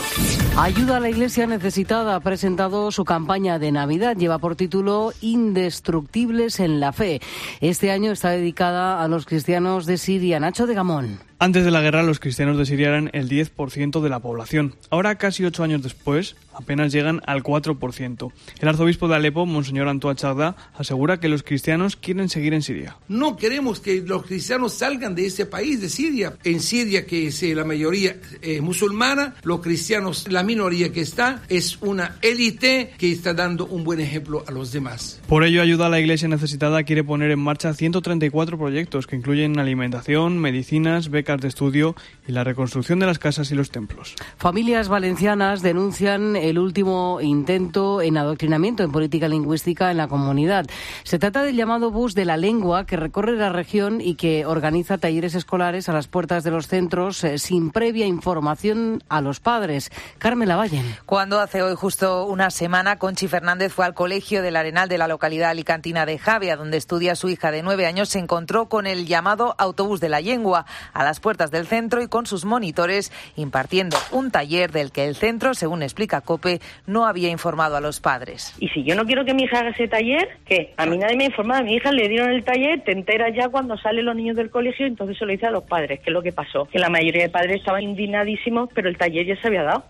Ayuda a la Iglesia Necesitada ha presentado su campaña de Navidad. Lleva por título Indestructibles en la Fe. Este año está dedicada a los cristianos de Siria. Nacho de Gamón. Antes de la guerra, los cristianos de Siria eran el diez por ciento de la población. Ahora, casi ocho años después, apenas llegan al cuatro por ciento. El arzobispo de Alepo, Monseñor Antoine Chardá, asegura que los cristianos quieren seguir en Siria. No queremos que los cristianos salgan de ese país, de Siria. En Siria, que es la mayoría eh, musulmana, los cristianos, la minoría que está, es una élite que está dando un buen ejemplo a los demás. Por ello, Ayuda a la Iglesia Necesitada quiere poner en marcha ciento treinta y cuatro proyectos que incluyen alimentación, medicinas, becas de estudio y la reconstrucción de las casas y los templos. Familias valencianas denuncian el último intento en adoctrinamiento en política lingüística en la comunidad. Se trata del llamado bus de la lengua que recorre la región y que organiza talleres escolares a las puertas de los centros eh, sin previa información a los padres. Carmen Lavallen. Cuando hace hoy justo una semana, Conchi Fernández fue al colegio del Arenal de la localidad alicantina de Javea, donde estudia su hija de nueve años, se encontró con el llamado autobús de la lengua a las puertas del centro y con sus monitores impartiendo un taller del que el centro, según explica COPE, no había informado a los padres. Y si yo no quiero que mi hija haga ese taller, ¿qué? A mí nadie me ha informado, a mi hija le dieron el taller, te enteras ya cuando salen los niños del colegio, entonces se lo dice a los padres. ¿Qué es lo que pasó? Que la mayoría de padres estaban indignadísimos, pero el taller ya se había dado.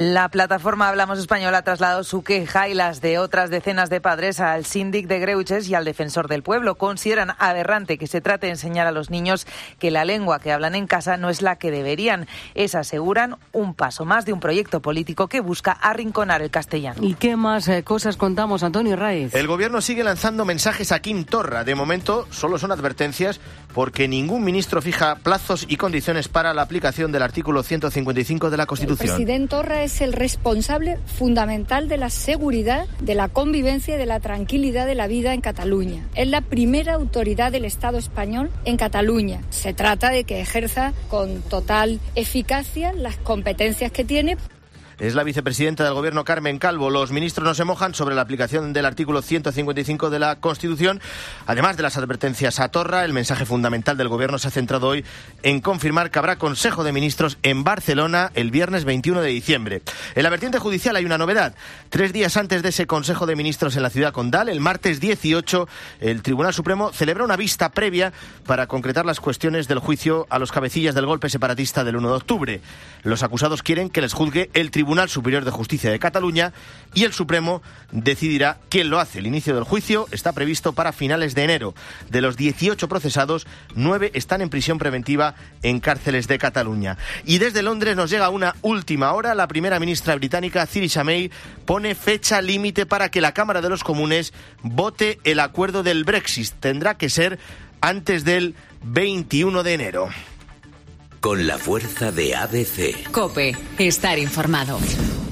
La plataforma Hablamos Español ha trasladado su queja y las de otras decenas de padres al síndic de Greuges y al defensor del pueblo. Consideran aberrante que se trate de enseñar a los niños que la lengua que hablan en casa no es la que deberían. Es, aseguran, un paso más de un proyecto político que busca arrinconar el castellano. ¿Y qué más eh, cosas contamos, Antonio Raiz? El gobierno sigue lanzando mensajes a Quim Torra. De momento solo son advertencias porque ningún ministro fija plazos y condiciones para la aplicación del artículo ciento cincuenta y cinco de la Constitución. El presidente Torra es el responsable fundamental de la seguridad, de la convivencia y de la tranquilidad de la vida en Cataluña. Es la primera autoridad del Estado español en Cataluña. Se trata de que ejerza con total eficacia las competencias que tiene. Es la vicepresidenta del Gobierno, Carmen Calvo. Los ministros no se mojan sobre la aplicación del artículo ciento cincuenta y cinco de la Constitución. Además de las advertencias a Torra, el mensaje fundamental del Gobierno se ha centrado hoy en confirmar que habrá Consejo de Ministros en Barcelona el viernes veintiuno de diciembre. En la vertiente judicial hay una novedad. Tres días antes de ese Consejo de Ministros en la ciudad condal, el martes dieciocho, el Tribunal Supremo celebra una vista previa para concretar las cuestiones del juicio a los cabecillas del golpe separatista del uno de octubre. Los acusados quieren que les juzgue el Tribunal Tribunal Superior de Justicia de Cataluña y el Supremo decidirá quién lo hace. El inicio del juicio está previsto para finales de enero. De los dieciocho procesados, nueve están en prisión preventiva en cárceles de Cataluña. Y desde Londres nos llega una última hora. La primera ministra británica, Theresa May, pone fecha límite para que la Cámara de los Comunes vote el acuerdo del Brexit. Tendrá que ser antes del veintiuno de enero. Con la fuerza de A B C. COPE. Estar informado.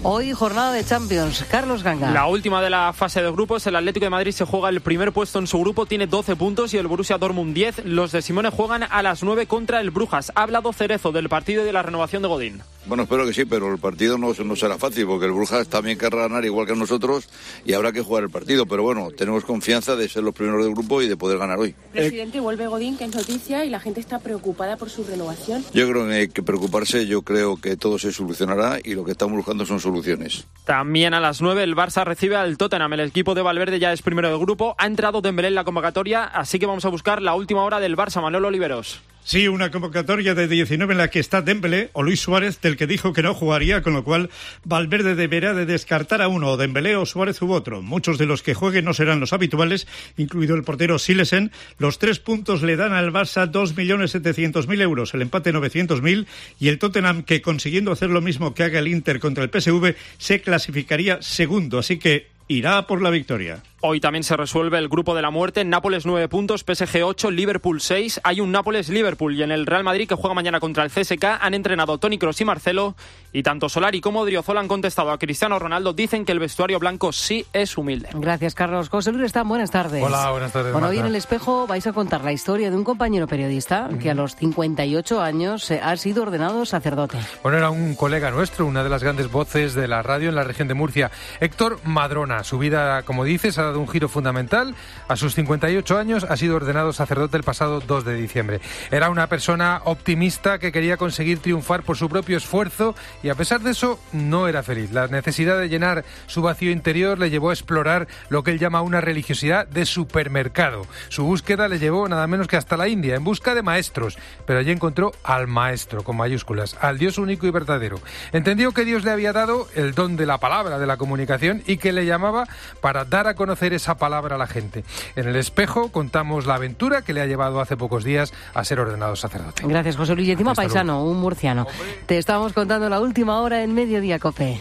Hoy jornada de Champions. Carlos Ganga. La última de la fase de grupos. El Atlético de Madrid se juega el primer puesto en su grupo. Tiene doce puntos y el Borussia Dortmund diez. Los de Simone juegan a las nueve contra el Brujas. Ha hablado Cerezo del partido y de la renovación de Godín. Bueno, espero que sí, pero el partido no, no será fácil porque el Brujas también querrá ganar igual que nosotros y habrá que jugar el partido. Pero bueno, tenemos confianza de ser los primeros del grupo y de poder ganar hoy. Presidente, vuelve Godín, que es noticia, y la gente está preocupada por su renovación. Yo creo que hay que preocuparse, yo creo que todo se solucionará y lo que estamos buscando son soluciones. También a las nueve el Barça recibe al Tottenham. El equipo de Valverde ya es primero del grupo. Ha entrado Dembélé en la convocatoria, así que vamos a buscar la última hora del Barça. Manuel Oliveros. Sí, una convocatoria de diecinueve en la que está Dembélé o Luis Suárez, del que dijo que no jugaría, con lo cual Valverde deberá de descartar a uno, Dembélé o Suárez u otro. Muchos de los que jueguen no serán los habituales, incluido el portero Silesen. Los tres puntos le dan al Barça dos millones setecientos mil euros, el empate novecientos mil, y el Tottenham, que consiguiendo hacer lo mismo que haga el Inter contra el P S V, se clasificaría segundo, así que irá por la victoria. Hoy también se resuelve el grupo de la muerte. Nápoles nueve puntos, P S G ocho, Liverpool seis. Hay un Nápoles-Liverpool y en el Real Madrid, que juega mañana contra el C S K, han entrenado Toni Kroos y Marcelo, y tanto Solari como Odriozola han contestado a Cristiano Ronaldo. Dicen que el vestuario blanco sí es humilde. Gracias, Carlos. José Luis Restán, buenas tardes. Hola, buenas tardes. Bueno, Marta. hoy en El Espejo vais a contar la historia de un compañero periodista que a los cincuenta y ocho años ha sido ordenado sacerdote. Bueno, era un colega nuestro, una de las grandes voces de la radio en la región de Murcia, Héctor Madrona. Su vida, como dices, ha dado dado un giro fundamental. A sus cincuenta y ocho años ha sido ordenado sacerdote el pasado dos de diciembre. Era una persona optimista que quería conseguir triunfar por su propio esfuerzo y a pesar de eso no era feliz. La necesidad de llenar su vacío interior le llevó a explorar lo que él llama una religiosidad de supermercado. Su búsqueda le llevó nada menos que hasta la India en busca de maestros, pero allí encontró al maestro con mayúsculas, al Dios único y verdadero. Entendió que Dios le había dado el don de la palabra, de la comunicación y que le llamaba para dar a conocer esa palabra a la gente. En el espejo contamos la aventura que le ha llevado hace pocos días a ser ordenado sacerdote. Gracias, José Luis. Y encima Hasta paisano, luego. un murciano. Hombre. Te estamos contando la última hora en Mediodía Cope.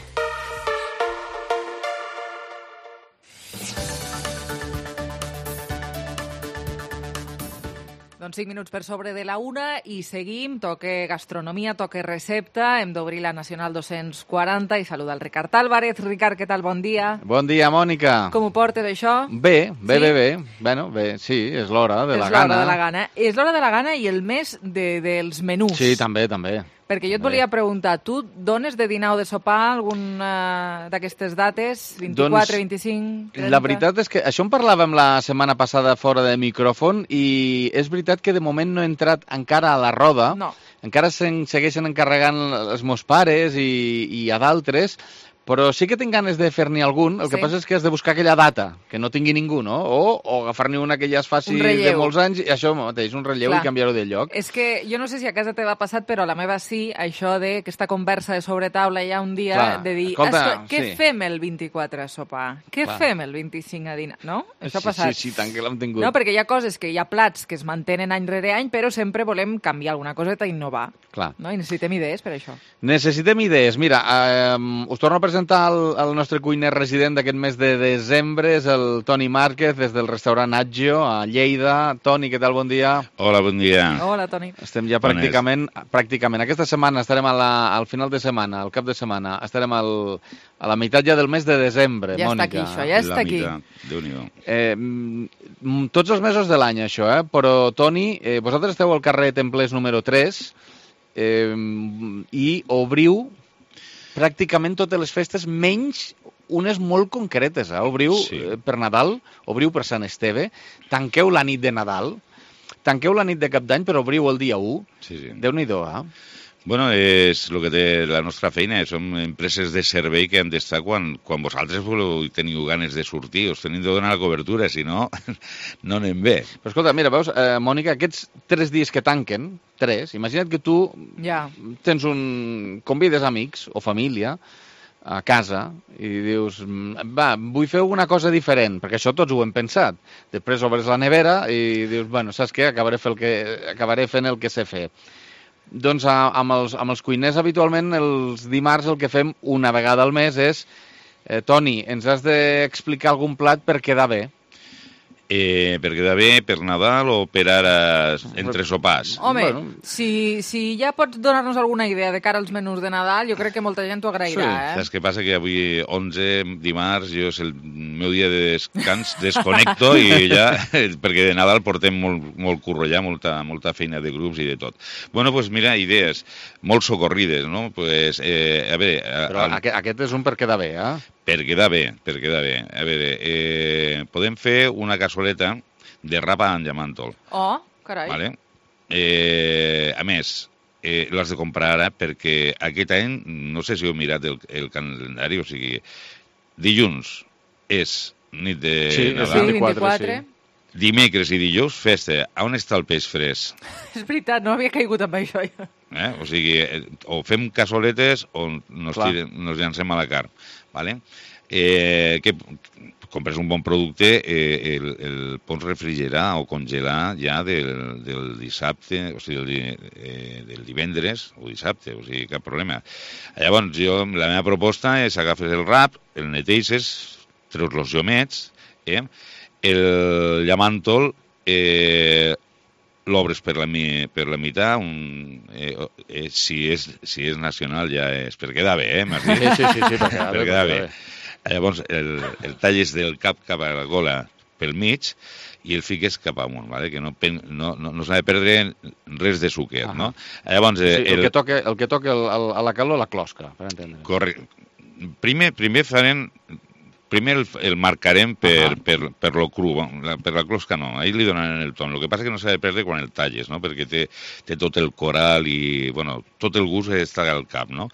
Doncs cinc minuts per sobre de la una i seguim. Toque gastronomia, toque recepta. Hem d'obrir la Nacional dos-cents quaranta i saludar el Ricard Álvarez. Ricard, què tal? Bon dia. Bon dia, Mònica. Com ho portes, això? Bé, bé, sí? bé, bé. Bueno, bé, sí, és l'hora de és la gana. És l'hora de la gana. És l'hora de la gana i el mes de, dels menús. Sí, també, també. Perquè jo et volia preguntar, tu dones de dinar o de sopar alguna d'aquestes dates? vint-i-quatre, doncs, vint-i-cinc, trenta? La veritat és que això en parlàvem la setmana passada fora de micròfon i és veritat que de moment no he entrat encara a la roda. No. Encara se'n segueixen encarregant els meus pares i, i a d'altres, però sí que tinc ganes de fer-n'hi algun. El sí. que passa és que has de buscar aquella data, que no tingui ningú, no? O, o agafar-n'hi una que ja es faci de molts anys, i això mateix, un relleu Clar. I canviar-ho de lloc. És que jo no sé si a casa t'ha passat, però a la meva sí, això de aquesta conversa de sobretaula ja un dia, Clar. de dir, Escolta, què sí. fem el vint-i-quatre a sopar? Què Clar. fem el vint-i-cinc a dinar? No? Això sí, ha passat. Sí, sí, tant que l'hem tingut. No, perquè hi ha coses que hi ha plats que es mantenen any rere any, però sempre volem canviar alguna coseta i innovar. Clar. No? I necessitem idees per això. Necessitem idees. Mira, eh, us torno a presentar el, el nostre cuiner resident d'aquest mes de desembre, és el Toni Márquez, des del restaurant Aggio, a Lleida. Toni, què tal? Bon dia. Hola, bon dia. Hola, Toni. Estem ja pràcticament, pràcticament. Aquesta setmana estarem a la, al final de setmana, al cap de setmana, estarem al, a la meitat ja del mes de desembre, ja Mònica. Ja està aquí, això, ja està aquí. Déu-n'hi-do. Eh, tots els mesos de l'any, això, eh? Però, Toni, eh, vosaltres esteu al carrer Templers número tres eh, i obriu pràcticament totes les festes, menys unes molt concretes. Eh? Obriu sí. eh, per Nadal, obriu per Sant Esteve, tanqueu la nit de Nadal, tanqueu la nit de Cap d'Any, però obriu el dia u. Sí, sí. Déu-n'hi-do, eh? Bueno, és el que té la nostra feina, som empreses de servei que hem d'estar quan, quan vosaltres voleu teniu ganes de sortir, us tenim de donar la cobertura, si no, no anem bé. Però escolta, mira, veus, eh, Mònica, aquests tres dies que tanquen, tres, imagina't que tu ja. tens un... convides amics o família a casa i dius, va, vull fer una cosa diferent, perquè això tots ho hem pensat. Després obres la nevera i dius, bueno, saps què? Acabaré, fer el que... Acabaré fent el que sé fer. Doncs amb els, amb els cuiners habitualment els dimarts el que fem una vegada al mes és eh, Toni, ens has d'explicar algun plat per quedar bé. Eh, per quedar bé, per Nadal o per ara entre sopars? Home, bueno. si, si ja pots donar-nos alguna idea de cara als menús de Nadal, jo crec que molta gent t'ho agrairà. Sí. Eh? Saps què passa? Que avui onze, dimarts, jo és el meu dia de descans, desconnecto i ja, perquè de Nadal portem molt, molt curro ja, molta, molta feina de grups i de tot. Bueno, doncs pues mira, idees molt socorrides, no? Pues, eh, a veure... Però al... aquest, aquest és un per quedar bé, eh? Per quedar bé, per quedar bé. A veure, eh, podem fer una cassoleta de rapa amb llamàntol. Oh, carai. Vale? Eh, a més, eh, l'has de comprar ara perquè aquest any, no sé si heu mirat el, el calendari, o sigui, dilluns és nit de sí, Nadal. Sí, vint-i-quatre. Sí. Dimecres i dijous, festa. On està el peix fresc? És veritat, no havia caigut amb això. Eh? O sigui, o fem cassoletes o nos, tirem, nos llancem a la carn. Vale? Eh, que compres un bon producte, eh, el, el pots refrigerar o congelar ja del, del dissabte, o sigui, del, eh, del divendres o dissabte, o sigui, cap problema. Llavors, jo, la meva proposta és agafes el rap, el neteixes, treus els llomets, eh? El llamàntol eh, l'obres per la, per la meitat, un, eh, eh, si, és, si és nacional ja és per quedar bé, eh? Sí, sí, sí, sí, per quedar, per quedar bé. bé. Llavors el, el talles del cap cap a la gola pel mig i el fiques cap amunt, ¿vale? Que no, no, no, no s'ha de perdre res de sucre, ah. no? Llavors, eh, sí, el, el que toca, el que toca el, el, a la calor, la closca, per entendre. Correcte. Primer, primer farem primer el, el marcarem per, uh-huh. per, per lo cru, la, per la closca no, ahir li donaran el ton. El que passa és que no s'ha de perdre quan el talles, no? Perquè té, té tot el coral i, bueno, tot el gust està al cap, no?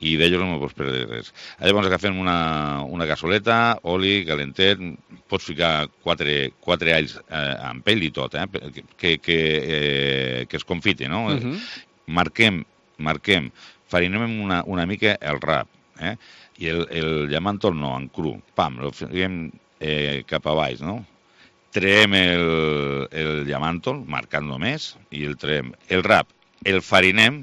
I d'ells no pots perdre res. Llavors agafem una, una cassoleta, oli, calentet, pots ficar quatre, quatre alls eh, amb pell i tot, eh? Que, que, eh, que es confite, no? Uh-huh. Marquem, marquem, farinem una, una mica el rap, eh? I el, el llamàntol no, en cru, pam, el fiquem eh, cap a baix, no? Traiem el, el llamàntol, marcant només, i el traiem. El rap, el farinem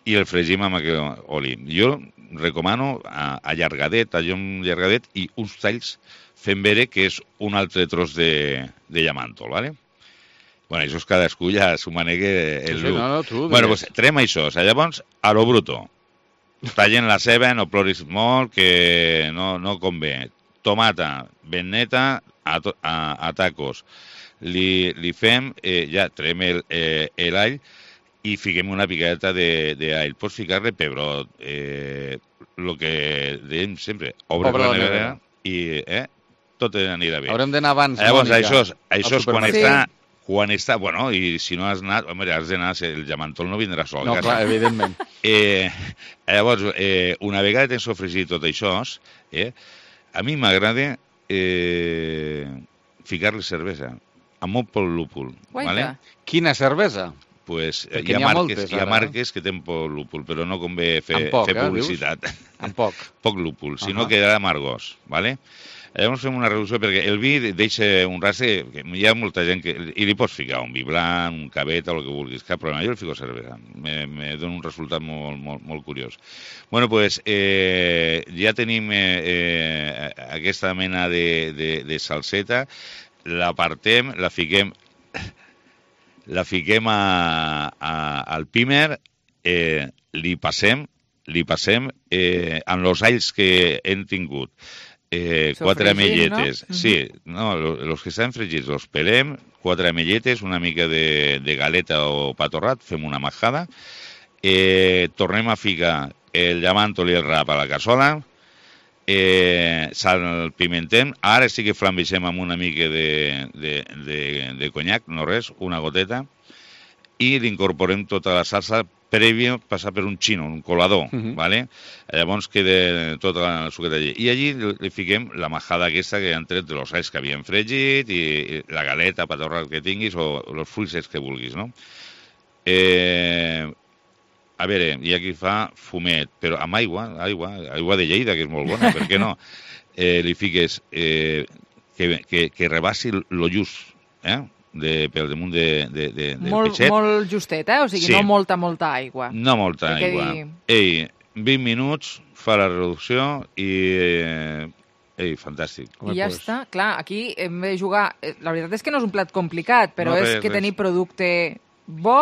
i el fregim amb aquest oli. Jo recomano allargadet, allò allargadet i uns talls fent veure que és un altre tros de, de llamàntol, ¿vale? Bueno, això és cadascú ja s'ho manegue el sí, sí, no, no, tu, bueno, doncs traiem això, llavors, a lo bruto. Tallen la ceba, no ploris molt, que no, no convé. Tomata ben neta, a, a, a tacos. Li, li fem, eh, ja traiem el, eh, l'all i fiquem una picadeta d'all. Pots ficar-li pebrot, eh, el que dèiem sempre, obre, obre la nevera i eh, tot anirà bé. Haurem d'anar abans, llavors, Mònica, això, això és quan està... Sí. Quan està, bueno, i si no has anat, home, has d'anar, el llamàntol no vindrà sol. No, clar, evidentment. Eh, llavors, eh, una vegada tens sofregit tot això, eh, a mi m'agrada eh, ficar-li cervesa, amb molt poc lúpul. Vale? Quina cervesa? Pues, hi ha, ha, marques, moltes, hi ha marques que tenen poc lúpul, però no convé fer, poc, fer publicitat. Eh, amb poc. Poc lúpul, si no uh-huh. quedarà amargós, vale? Llavors fem una reducció, perquè el vi deixa un rastre, que hi ha molta gent que... I li pots ficar un vi blanc, un cabet, el que vulguis, cap problema. Jo li fico cervesa, me, me dona un resultat molt, molt, molt curiós. Bueno, doncs, eh, ja tenim eh, eh, aquesta mena de, de, de salseta, l'apartem, la fiquem, la fiquem a, a, al pímer, eh, li passem, li passem eh, amb els alls que hem tingut. Eh, quatre amelletes, no? Sí, no, els que estan fregits els pelem, quatre amelletes, una mica de, de galeta o pa torrat, fem una majada, eh, tornem a ficar el llamàntol i el rap a la cassola, eh, salpimentem, ara sí que flambeixem amb una mica de, de, de, de conyac, no res, una goteta, i l'incorporem tota la salsa prèvia passar per un xino, un colador, uh-huh. ¿vale? Llavors queda tota la suqueta allí. I allí li fiquem la majada aquesta que han tret dels alls que havien fregit i, i la galeta, patorra que tinguis o els fruits que vulguis, no? Eh, a veure, hi ha qui fa fumet, però amb aigua, aigua, aigua de Lleida, que és molt bona, per què no? Eh, li fiques eh, que, que, que rebassi lo just, eh? De, pel damunt de, de, de, del molt, peixet. Molt justet, eh? O sigui, sí. no molta, molta aigua. No molta Perquè aigua. Dir... Ei, vint minuts, fa la reducció i... Eh, ei, fantàstic. I ja pues... està. Clar, aquí hem de jugar... La veritat és que no és un plat complicat, però no, és res, que res. tenir producte bo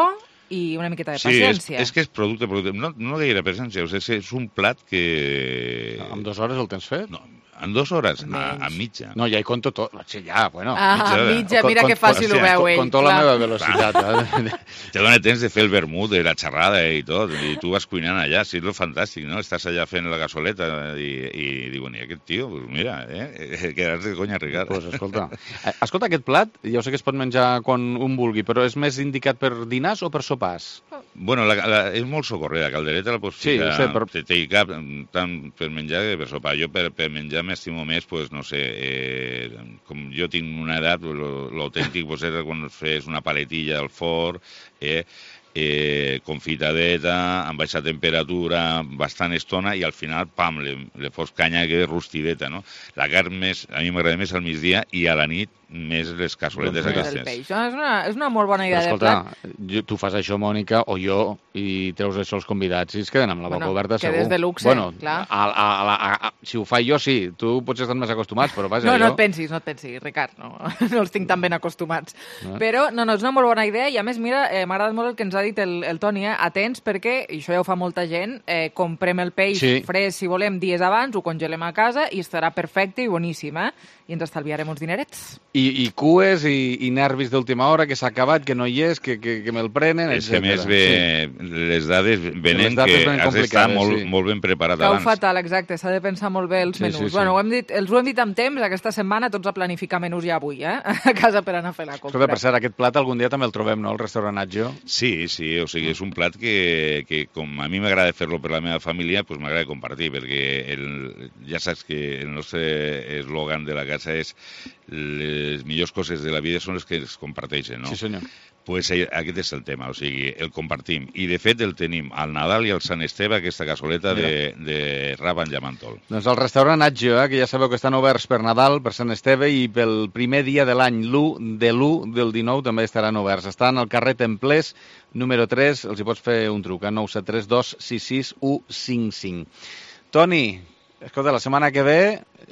i una miqueta de paciència. Sí, és, és que és producte, producte. No, no gaire paciència, és, és un plat que... En dues hores el tens fet? No, en dues hores, a, a mitja. No, ja hi conto tot. Sí, ja, bueno. Ah, mitja, mitja mira que fàcil ho veu ell. Conto la meva velocitat. Eh? Te dona temps de fer el vermut, de la xerrada i tot, i tu vas cuinant allà, sí, és fantàstic, no? Estàs allà fent la gasoleta i, i diuen, i aquest tio, pues mira, eh, quedar-se de conya, Ricard. Pues escolta, escolta, aquest plat, jo sé que es pot menjar quan un vulgui, però és més indicat per dinars o per sopars? Bueno, la, la, és molt socorrida, la caldereta la pots ficar, sí, sé, però... te, te hi cap tant per menjar que per sopar. Jo per, per menjar m'estimo més, pues, no sé, eh, com jo tinc una edat, l'autèntic pues, era quan fes una paletilla al forn, eh, eh, confitadeta, amb baixa temperatura, bastant estona, i al final, pam, le, le fos canya que és rostideta, no? La carn més, a mi m'agrada més al migdia i a la nit més les cassoletes aquestes. Peix. No, és, una, és una molt bona idea Però, escolta, de plat. Jo, tu fas això, Mònica, o jo, i treus això als convidats, i es queden amb la boca bueno, oberta, segur. Quedes de luxe, bueno, clar. A, a, a, a, a, si ho faig jo, sí. Tu potser estan més acostumats, però vaja, no, jo... No, no et pensis, no et pensis, Ricard. No, no els tinc tan ben acostumats. No. Però, no, no, és una molt bona idea, i a més, mira, eh, m'ha agradat molt el que ens ha dit el, el Toni, eh? Atents, perquè, i això ja ho fa molta gent, eh, comprem el peix sí. fresc, si volem, dies abans, ho congelem a casa, i estarà perfecte i boníssim, eh? I ens estalviarem uns dinerets. I I, i cues i, i nervis d'última hora, que s'ha acabat, que no hi és, que, que, que me'l prenen, és que, a més, ve, sí. les dades venen les dades que has d'estar molt, sí. molt ben preparat Cau abans. fatal, exacte, s'ha de pensar molt bé els Sí, menús. sí, sí. Bueno, ho hem dit, els ho hem dit amb temps, aquesta setmana tots a planificar menús ja avui, eh? A casa per anar a fer la compra. Escolta, per cert, aquest plat algun dia també el trobem, no?, al restaurant Atgio. Sí, sí, o sigui, és un plat que, que com a mi m'agrada fer-lo per la meva família, pues m'agrada compartir, perquè el, ja saps que el nostre eslògan de la casa és les millors coses de la vida són les que es comparteixen, no? Sí, senyor. Pues aquest és el tema, o sigui, el compartim. I, de fet, el tenim al Nadal i al Sant Esteve, aquesta cassoleta de, de rap amb llamantol. Doncs el restaurant Atgio, eh, que ja sabeu que estan oberts per Nadal, per Sant Esteve, i pel primer dia de l'any, l'u de l'u del dinou, també estaran oberts. Estan al carrer Templers, número tres, els hi pots fer un truc, a nou set tres dos sis sis u cinc cinc. Toni, escolta, la setmana que ve,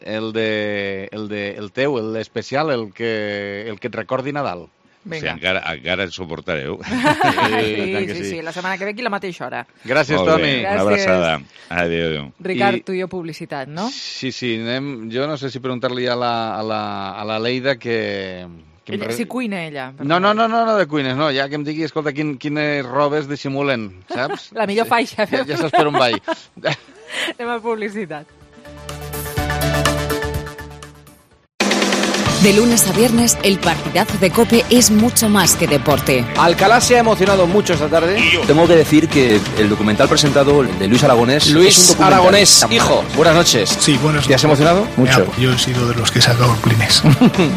el, de, el, de, el teu, l'especial, el que, el que et recordi Nadal. Vinga. O sigui, encara, encara ens suportareu. Sí, sí, sí, sí, la setmana que ve aquí a la mateixa hora. Gràcies, Toni. Gràcies. Una abraçada. Adéu, adéu. Ricard, I... tu i jo publicitat, no? Sí, sí, anem... jo no sé si preguntar-li a la, a la, a la Leida que... que ella, re... si cuina ella. No, no, no, no, no de cuines, no, ja que em digui, escolta, quin, quines robes dissimulen, saps? La millor faixa. Ja, ja saps per on vaig. Anem a publicitat. De lunes a viernes, el partidazo de COPE es mucho más que deporte. Alcalá se ha emocionado mucho esta tarde. Tengo que decir que el documental presentado de Luis Aragonés... Luis es un Aragonés, hijo, buenas noches. Sí, buenas noches. ¿Te has emocionado? Mucho. Yo he sido de los que he sacado clines.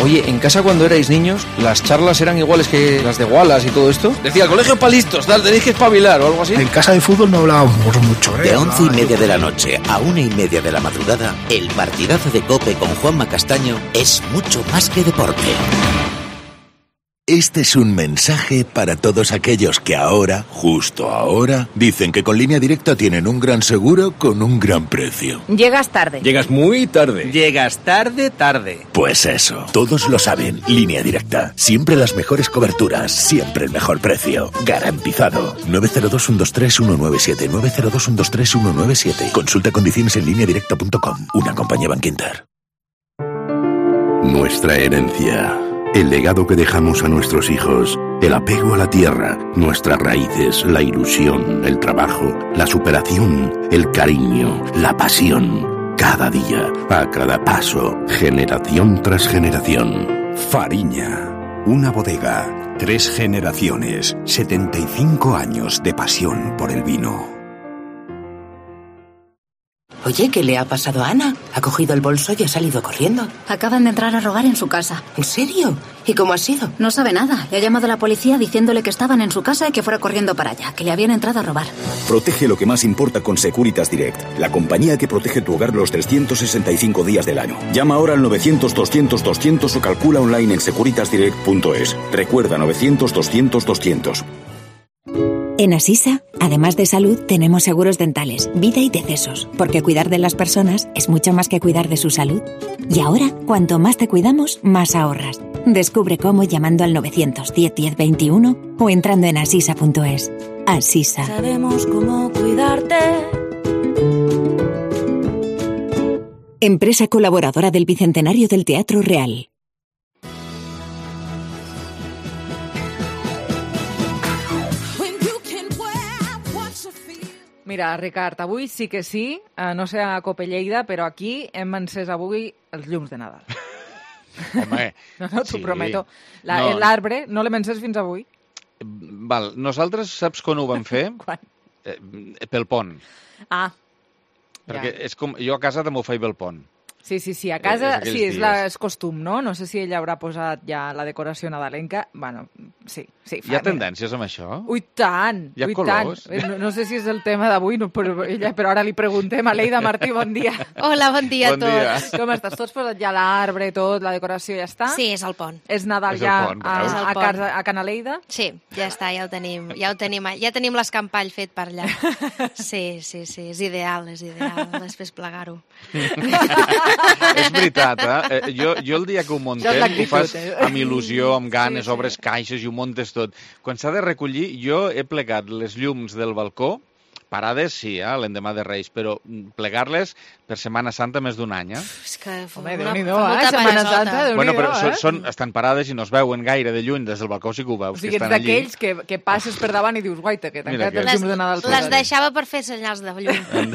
Oye, en casa cuando erais niños, ¿las charlas eran iguales que las de Wallace y todo esto? Decía, el colegio para listos, tal, tenéis que espabilar o algo así. En casa de fútbol no hablábamos mucho, ¿eh? De once y media de la noche a una y media de la madrugada, el partidazo de COPE con Juanma Castaño es mucho más que deporte. Este es un mensaje para todos aquellos que ahora, justo ahora, dicen que con Línea Directa tienen un gran seguro con un gran precio. Llegas tarde. Llegas muy tarde. Llegas tarde, tarde. Pues eso, todos lo saben. Línea Directa. Siempre las mejores coberturas, siempre el mejor precio. Garantizado. nueve cero dos, uno dos tres, uno nueve siete. nueve cero dos, uno dos tres, uno nueve siete. Consulta condiciones en línea directa punto com. Una compañía Bankinter. Nuestra herencia, el legado que dejamos a nuestros hijos, el apego a la tierra, nuestras raíces, la ilusión, el trabajo, la superación, el cariño, la pasión. Cada día, a cada paso, generación tras generación. Fariña, una bodega, tres generaciones, setenta y cinco años de pasión por el vino. Oye, ¿qué le ha pasado a Ana? Ha cogido el bolso y ha salido corriendo. Acaban de entrar a robar en su casa. ¿En serio? ¿Y cómo ha sido? No sabe nada. Le ha llamado a la policía diciéndole que estaban en su casa y que fuera corriendo para allá, que le habían entrado a robar. Protege lo que más importa con Securitas Direct, la compañía que protege tu hogar los trescientos sesenta y cinco días del año. Llama ahora al novecientos, doscientos, doscientos o calcula online en securitas direct punto es. Recuerda novecientos, doscientos, doscientos. En Asisa, además de salud, tenemos seguros dentales, vida y decesos, porque cuidar de las personas es mucho más que cuidar de su salud. Y ahora, cuanto más te cuidamos, más ahorras. Descubre cómo llamando al novecientos diez, diez, veintiuno o entrando en asisa punto es. Asisa. Sabemos cómo cuidarte. Empresa colaboradora del Bicentenario del Teatro Real. Mira, Ricard, avui sí que sí, eh, no sé a Cope Lleida, però aquí hem encès avui els llums de Nadal. Home, no, no, t'ho sí. prometo. La, No. L'arbre no l'hem encès fins avui. Val, nosaltres saps quan ho vam fer? Quan? Eh, pel pont. Ah, Perquè ja. és com, jo a casa també ho faig pel pont. Sí, sí, sí, a casa És aquells sí, és, dies. la, és costum, no? No sé si ella haurà posat ja la decoració nadalenca. Bueno, sí, sí. Hi ha tendències amb això? Ui, tant, Hi ha ui, colors? tant. No, no sé si és el tema d'avui, no, però, ella, però ara li preguntem a Leida Martí, bon dia. Hola, bon dia Bon a tots. dia. Com estàs? Tots posat ja l'arbre, tot, la decoració ja està? Sí, és el pont. És Nadal És el ja pont, a, veus? a, És el casa, a Canaleida? Sí, ja està, ja ho tenim, ja ho tenim, ja tenim l'escampall fet per allà. Sí, sí, sí, és ideal, és ideal, després plegar-ho. És veritat, eh? eh? Jo, jo el dia que ho muntem, Ja és l'actitud, ho fas eh? amb il·lusió, amb ganes, Sí, sí. obres caixes i ho muntes tot. Quan s'ha de recollir, jo he plegat les llums del balcó parades sí, eh, l'endemà de Reis, però plegar-les per Setmana Santa més d'un any, eh? És que Home, Déu-n'hi-do, eh? Setmana Santa, Déu-n'hi-do, bueno, però eh? són, són, estan parades i no es veuen gaire de lluny, des del balcó sí que ho veus, O sigui, que ets estan allí. d'aquells que, que passes per davant i dius, guaita, que Mira tancat els que- llums de Nadal. Les deixava per fer senyals de llum.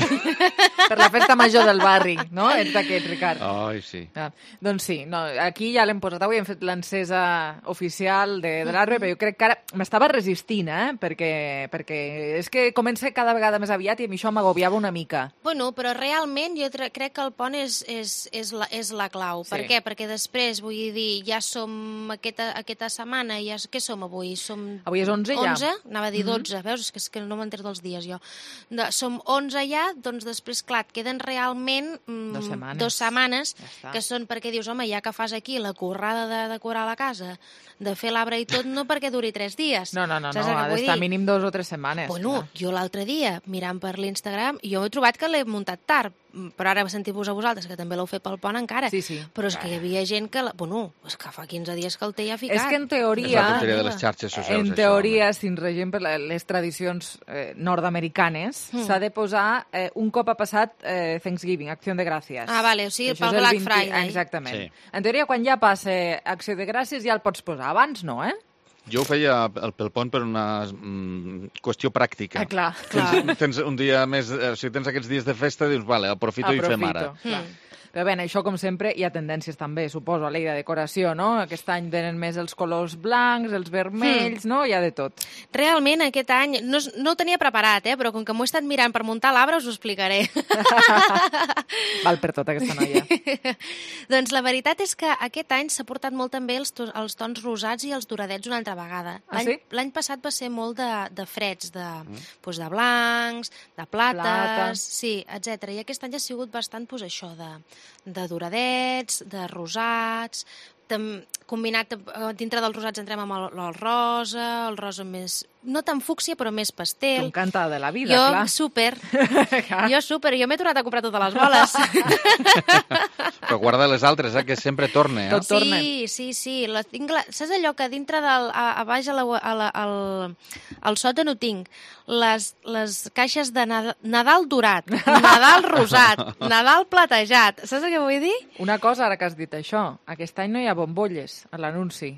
Per la festa major del barri, no? Ets d'aquests, Ricard. Ai, sí. Ah, doncs sí, no, aquí ja l'hem posat avui, hem fet l'encesa oficial de, de l'arbre, però jo crec que ara m'estava resistint, eh? Perquè, perquè és que comença cada vegada més aviat i a mi això m'agobiava una mica. Bueno, però realment jo tre- crec que el pont és, és, és, la, és la clau. Sí. Per què? Perquè després, vull dir, ja som aquesta, aquesta setmana, ja, què som avui? Som Avui és onze ja. onze? Anava a dir Mhm. dotze, veus? És que, és que no m'entero dels dies jo. De, som onze ja, doncs després, clar, et queden realment mm, Dos setmanes. dos setmanes està. que són perquè dius, home, ja que fas aquí la currada de decorar la casa, de fer l'arbre i tot, no perquè duri tres dies. No, no, no, Saps no el que ha vull d'estar dir? mínim dos o tres setmanes. Bueno, jo l'altre dia, mirant per l'Instagram, jo he trobat que l'he muntat tard, però ara sentir-vos a vosaltres, que també l'heu fet pel pont encara. Sí, sí. Però és que hi havia gent que... La... Bueno, és que fa quinze dies que el té ja ficat. És que en És teoria, la tonteria de les xarxes socials, en això, teoria, si ens regim per la- les tradicions eh, nord-americanes, Mm. s'ha de posar eh, un cop ha passat eh, Thanksgiving, Acció de Gràcies. Ah, vale, o sigui, Això pel és el Black vint Friday. Exactament. Sí. En teoria, quan ja passa Acció de Gràcies, ja el pots posar. Abans no, eh? Jo ho feia el- pel pont per una mm, qüestió pràctica. Ah, clar, Tens, clar. tens un dia més, eh, o sigui, tens aquests dies de festa, dius, vale, aprofito, i fem ara. clar. Però bé, això, com sempre, hi ha tendències també, suposo, a l'ei de decoració, no? Aquest any tenen més els colors blancs, els vermells, no? Hi ha de tot. Realment, aquest any, no, es- no ho tenia preparat, eh? Però com que m'ho he estat mirant per muntar l'arbre, us ho explicaré. Val per tot, aquesta noia. Doncs la veritat és que aquest any s'ha portat molt també els, to els tons rosats i els doradets una altra vegada. Ah, L'any sí? l'any passat va ser molt de, de freds, de, mm. doncs de blancs, de plates, Plata. sí, etcètera. I aquest any ha sigut bastant doncs, això, de, de doradets, de rosats, tam, combinat eh, dintre dels rosats entrem amb el, el rosa, el rosa més... no tan fúcsia, però més pastel. Tu encantada de la vida, jo, clar. super. jo super. Jo m'he tornat a comprar totes les boles. Però guarda les altres, eh, que sempre torna, eh? Sí, sí, sí. La tinc, la... Saps allò que dintre del... A, a baix a la, a la, al, al sòtan ho tinc? Les, les caixes de Nadal, Nadal dorat, Nadal rosat, Nadal platejat. Saps què vull dir? Una cosa, ara que has dit això, aquest any no hi ha bombolles a l'anunci.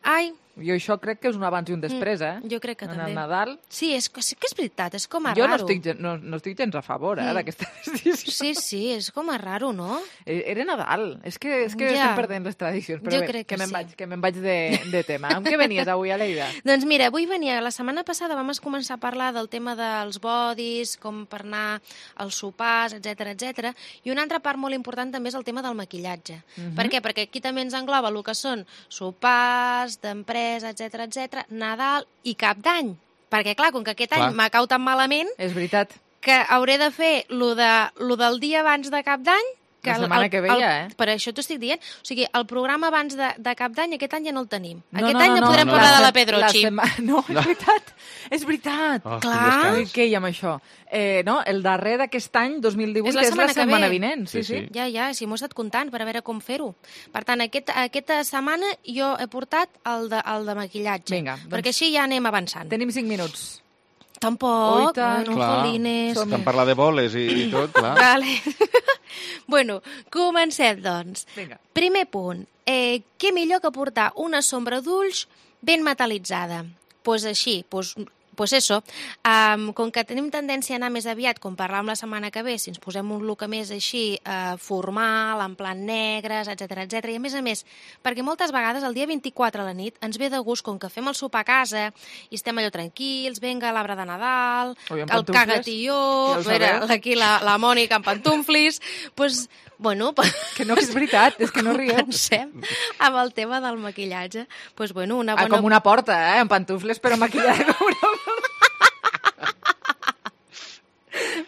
Ai, Jo això crec que és un abans i un després, eh? jo crec que en també. el Nadal... Sí, és, que- sí que és veritat, és com a Jo no raro. estic, gen- no, no estic gens a favor, eh, Mm. d'aquesta decisió. Sí, sí, és com a raro, no? Eh, Era Nadal. És que, és que Ja. estem perdent les tradicions. Però Jo bé, crec que me'n sí. vaig, que me'n vaig de, de tema. Amb què venies avui, Aleida? Doncs mira, avui venia, la setmana passada vam començar a parlar del tema dels bodis, com per anar als sopars, etc etc. I una altra part molt important també és el tema del maquillatge. Mhm. Per què? Perquè aquí també ens engloba el que són sopars, d'empresa, etc etc, Nadal i Cap d'Any. Perquè, clar, com que aquest Clar. any m'ha cau tan malament És veritat. que hauré de fer lo, de, lo del dia abans de Cap d'Any. que La el- setmana el- que ve el- ja, eh? Per això t'ho estic dient. O sigui, el programa abans de, de Cap d'Any aquest any ja no el tenim. No, aquest no, any no, no, no, podrem no, parlar la de la se- Pedrochi. la sema- No, és veritat. És veritat. Oh, Clar. Ui, què hi ha amb això? Eh, no, el darrer d'aquest any, dos mil divuit, És la que és la setmana que setmana ve. vinent. Sí, sí. Ja, ja, sí, m'ho he estat comptant per a veure com fer-ho. Per tant, aquest, aquesta setmana jo he portat el de, el de maquillatge. Vinga, doncs- Perquè així ja anem avançant. Tenim cinc minuts. Tampoc, Ui, tant. bueno, Clar, jolines. estem parlant de boles i, i tot, clar. Vale. Bueno, comencem, doncs. Vinga. Primer punt. Eh, què millor que portar una sombra d'ulls ben metalitzada? Doncs pues així, pues, pues eso. Um, com que tenim tendència a anar més aviat, com parlàvem la setmana que ve, si ens posem un look més així uh, formal, en plan negres, etc etc. I a més a més, perquè moltes vegades el dia vint-i-quatre a la nit ens ve de gust, com que fem el sopar a casa i estem allò tranquils, venga l'arbre de Nadal, Ui, amb el pantufles. cagatió, Ja ho mira, sabeu. aquí la, la Mònica amb pantuflis, pues, bueno... Que no és veritat, és que no rieu. Comencem amb el tema del maquillatge. Pues, bueno, una Ah, bona... com una porta, eh? Amb pantufles, però maquillada com una porta.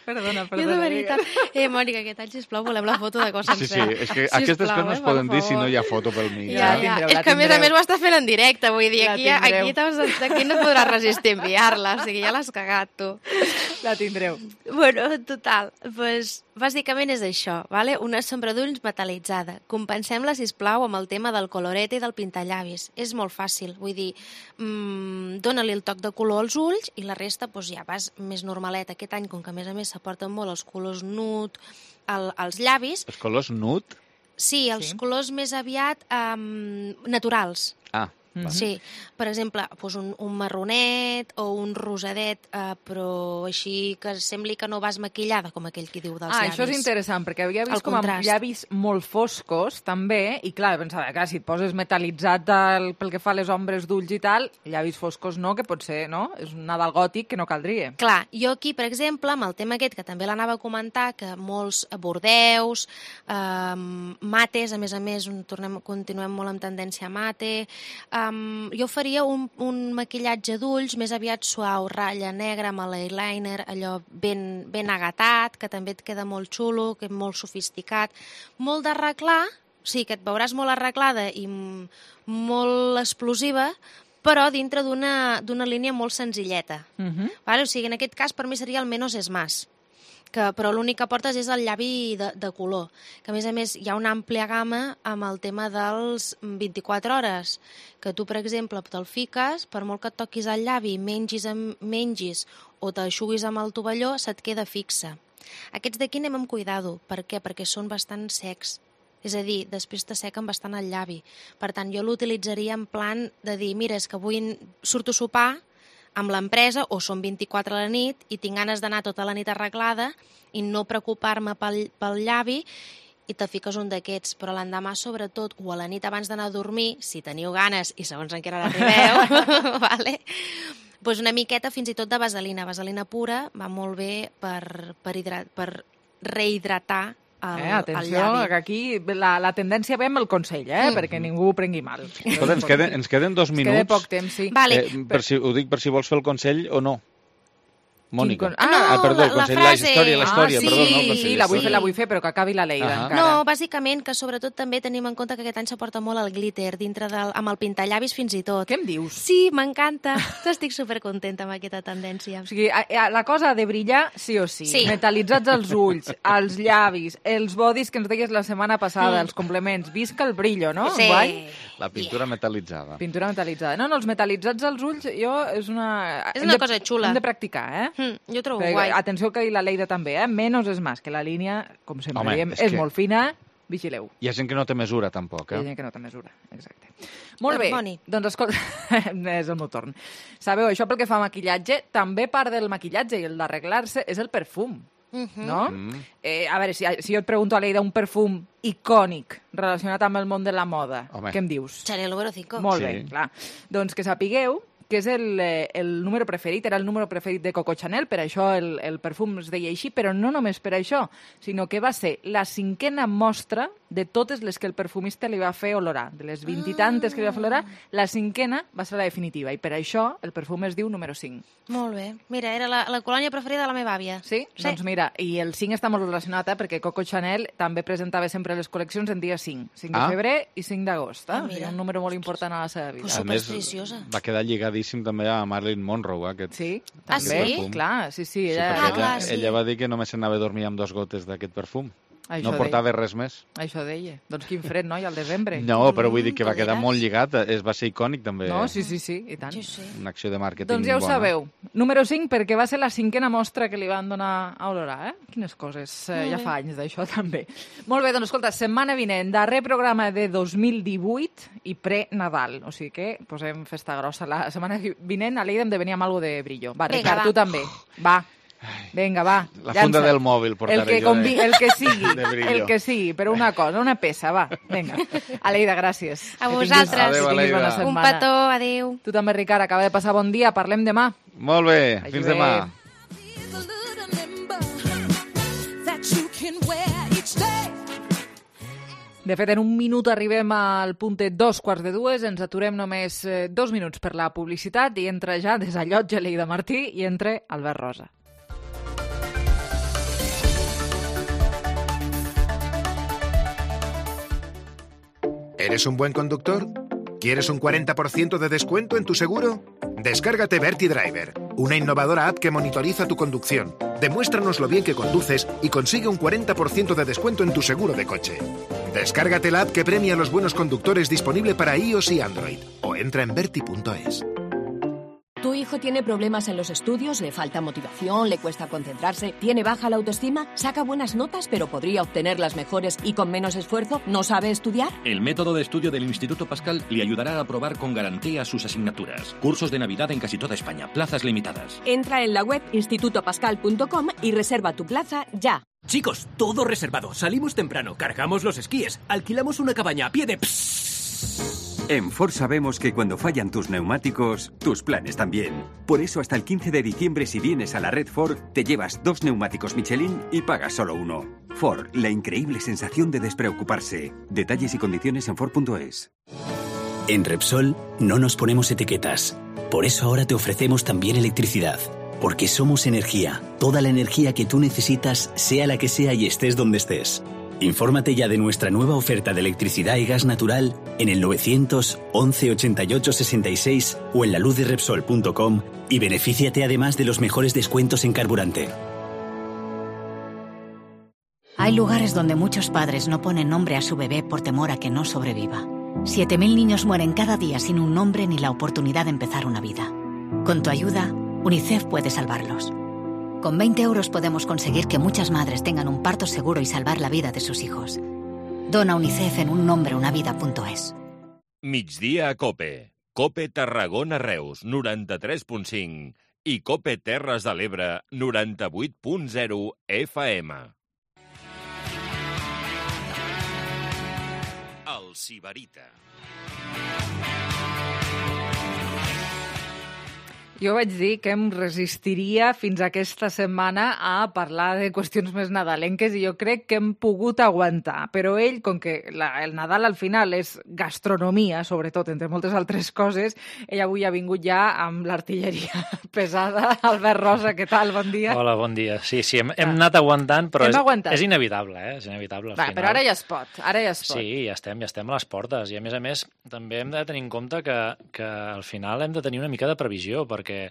Perdona, Jo perdona. de veritat... Eh, Mònica, aquest any, sisplau, volem la foto de cos Sí, sí, sencer. és que Sisplau, aquestes coses no es eh, poden per dir si no favor. hi ha foto pel mig. Ja, eh? ja. tindreu, És la que a més a tindreu. més ho està fent en directe, vull dir, La aquí, tindreu. aquí, t'has- aquí no et podràs resistir a enviar-la, o sigui, ja l'has cagat, tu. La tindreu. Bueno, total, pues, bàsicament és això, vale? Una sombra d'ulls metalitzada. Compensem-la, sisplau, amb el tema del colorete i del pintallavis. És molt fàcil, vull dir, mmm, dóna-li el toc de color als ulls i la resta pues, ja vas més normalet. Aquest any, com que a més a més s'aporten molt els colors nude, el, els llavis... Els colors nude? Sí, els sí. colors més aviat um, naturals. Ah. Mm-hmm. Sí, per exemple, doncs un, un marronet o un rosadet, eh, però així que sembli que no vas maquillada, com aquell qui diu dels ah, llavis. Això és interessant, perquè havia vist el com amb llavis molt foscos, també, i clar, pensava, clar, si et poses metalitzat el, pel que fa a les ombres d'ulls i tal, llavis foscos no, que pot ser, no? És un Nadal gòtic que no caldria. Clar, jo aquí, per exemple, amb el tema aquest, que també l'anava a comentar, que molts bordeus, eh, mates, a més a més, tornem, continuem molt amb tendència mate... Eh, Um, jo faria un, un maquillatge d'ulls més aviat suau, ratlla negra amb l'eyeliner, allò ben, ben agatat, que també et queda molt xulo, que és molt sofisticat. Molt d'arreglar, sí, que et veuràs molt arreglada i molt explosiva, però dintre d'una d'una línia molt senzilleta. Uh-huh. Vale? O sigui, en aquest cas per mi seria el menos es más. Que, però l'únic que portes és el llavi de, de color, que a més a més hi ha una àmplia gamma amb el tema dels vint-i-quatre hores, que tu, per exemple, te'l fiques, per molt que et toquis el llavi, mengis, amb, mengis o t'aixuguis amb el tovalló, se't queda fixa. Aquests d'aquí anem amb cuidado. Per què? Perquè són bastant secs. És a dir, després t'assequen bastant el llavi. Per tant, jo l'utilitzaria en plan de dir, mira, és que avui surto a sopar amb l'empresa, o són vint-i-quatre a la nit, i tinc ganes d'anar tota la nit arreglada i no preocupar-me pel, pel llavi, i te fiques un d'aquests. Però l'endemà, sobretot, o a la nit abans d'anar a dormir, si teniu ganes, i segons en què hora arribeu, vale? Pues una miqueta fins i tot de vaselina. Vaselina pura va molt bé per, per, hidrat, per rehidratar el, eh, atenció, el llavi. que aquí la, la tendència ve amb el consell, eh, mm. perquè ningú ho prengui mal. Escolta, ens queden, ens queden dos minuts. Ens queda poc temps, sí. Vale. Eh, per si, ho dic per si vols fer el consell o no. Mònica. Con... Ah, no, ah, perdó, el consell, la, la història, la història, ah, sí, perdó, no, el consell. Sí, la vull fer, la vull fer, però que acabi la Leida uh -huh. encara. No, bàsicament que sobretot també tenim en compte que aquest any s'aporta molt el glitter dintre del, amb el pintallavis fins i tot. Què em dius? Sí, m'encanta. Estic supercontenta amb aquesta tendència. O sigui, a, a, la cosa ha de brillar sí o sí. sí. Metalitzats els ulls, els llavis, els bodis que ens deies la setmana passada, mm. els complements. Visca el brillo, no? Sí. Guai? La pintura yeah. metal·litzada. Pintura metal·litzada. No, no, els metalitzats als ulls, jo, és una... És una de, cosa xula. Hem de practicar, eh? Mm, jo trobo Però, guai. Atenció que la Leida també, eh? Menos és més, que la línia, com sempre Home, diem, és, és que... molt fina. Vigileu. Hi ha gent que no té mesura, tampoc, eh? Hi ha gent que no té mesura, exacte. Molt bé, Boni. doncs escolta, és el meu torn. Sabeu, això pel que fa a maquillatge, també part del maquillatge i el d'arreglar-se és el perfum. Uh-huh. No? Mm. Eh, a veure, si, si jo et pregunto a Leida un perfum icònic relacionat amb el món de la moda, Home. què em dius? Chanel número cinc. Molt Sí. bé, clar. Doncs que sapigueu que és el, eh, el número preferit, era el número preferit de Coco Chanel, per això el, el perfum es deia així, però no només per això, sinó que va ser la cinquena mostra de totes les que el perfumista li va fer olorar. De les vint i tantes que li va fer olorar, la cinquena va ser la definitiva, i per això el perfum es diu número cinc. Molt bé. Mira, era la, la colònia preferida de la meva àvia. Sí? sí? Doncs mira, i el cinc està molt relacionat, eh, perquè Coco Chanel també presentava sempre les col·leccions en dia cinc. cinc de Ah. febrer i cinc d'agost. Eh? Ah, O sigui, mira. un número molt important a la seva vida. Pues A més, supersticiosa. va quedar lligadíssim també a Marilyn Monroe, aquest. Sí, Ah, també, sí? clar, sí, sí. Sí, Ella, perquè Ah, clar, ella, sí. ella va dir que només s'anava a dormir amb dos gotes d'aquest perfum. Això no deia. portava res més. Això deia. Doncs quin fred, no? I al desembre. No, però vull dir que va Mm, quedar colliràs. molt lligat. Es va ser icònic, també. No, sí, sí, sí, i tant. Sí, sí. Una acció de màrqueting Doncs ja ho bona. sabeu. Número cinc, perquè va ser la cinquena mostra que li van donar a olorar, eh? Quines coses. Eh, ja fa anys d'això, també. Molt bé, doncs escolta, setmana vinent, darrer programa de dos mil divuit i pre-Nadal. O sigui que posem festa grossa. La setmana vinent a Leida hem de venir amb alguna de brillo. Va, Vinga, Ricard, va. tu també. Va. Vinga, va. La llança. funda del mòbil portaré el que jo convi... de- El que sigui, de brillo. el que sigui, però una cosa, una peça, va. Vinga. Aleida, gràcies. A Que vosaltres. tinguis- Adéu, que tinguis bona Aleida. Un setmana. petó, adéu. Tu també, Ricard, acaba de passar bon dia. Parlem demà. Molt bé, fins Adéu. demà. De fet, en un minut arribem al puntet dos quarts de dues, ens aturem només eh, dos minuts per la publicitat i entra ja desallotja Leida Martí i entra Albert Rosa. ¿Eres un buen conductor? ¿Quieres un cuarenta por ciento de descuento en tu seguro? Descárgate Verti Driver, una innovadora app que monitoriza tu conducción. Demuéstranos lo bien que conduces y consigue un cuarenta por ciento de descuento en tu seguro de coche. Descárgate la app que premia a los buenos conductores, disponible para iOS y Android. O entra en verti punto es. ¿Tu hijo tiene problemas en los estudios? ¿Le falta motivación? ¿Le cuesta concentrarse? ¿Tiene baja la autoestima? ¿Saca buenas notas pero podría obtenerlas mejores y con menos esfuerzo? ¿No sabe estudiar? El método de estudio del Instituto Pascal le ayudará a aprobar con garantía sus asignaturas. Cursos de Navidad en casi toda España. Plazas limitadas. Entra en la web instituto pascal punto com y reserva tu plaza ya. Chicos, todo reservado. Salimos temprano, cargamos los esquíes, alquilamos una cabaña a pie de... En Ford sabemos que cuando fallan tus neumáticos, tus planes también. Por eso hasta el quince de diciembre, si vienes a la red Ford, te llevas dos neumáticos Michelin y pagas solo uno. Ford, la increíble sensación de despreocuparse. Detalles y condiciones en Ford punto es. En Repsol no nos ponemos etiquetas. Por eso ahora te ofrecemos también electricidad. Porque somos energía. Toda la energía que tú necesitas, sea la que sea y estés donde estés. Infórmate ya de nuestra nueva oferta de electricidad y gas natural en el novecientos once ochenta y ocho sesenta y seis o en la luz de repsol punto com y benefíciate además de los mejores descuentos en carburante. Hay lugares donde muchos padres no ponen nombre a su bebé por temor a que no sobreviva. siete mil niños mueren cada día sin un nombre ni la oportunidad de empezar una vida. Con tu ayuda, UNICEF puede salvarlos. Con veinte euros podemos conseguir que muchas madres tengan un parto seguro y salvar la vida de sus hijos. Dona UNICEF en un nombre una vida punto es. Migdia a Cope. Cope Tarragona Reus, noranta-tres punt cinc. I Cope Terres de l'Ebre, noranta-vuit punt zero F M. El Sibarita. Jo vaig dir que em resistiria fins aquesta setmana a parlar de qüestions més nadalenques i jo crec que hem pogut aguantar. Però ell, com que la, el Nadal al final és gastronomia, sobretot, entre moltes altres coses, ell avui ha vingut ja amb l'artilleria pesada. Albert Rosa, què tal? Bon dia. Hola, bon dia. Sí, sí, hem, hem anat aguantant, però hem és, aguantat. és inevitable, eh? És inevitable al Va, final. Però ara ja es pot, ara ja es pot. Sí, ja estem, ja estem a les portes. I a més a més, també hem de tenir en compte que, que al final hem de tenir una mica de previsió, perquè perquè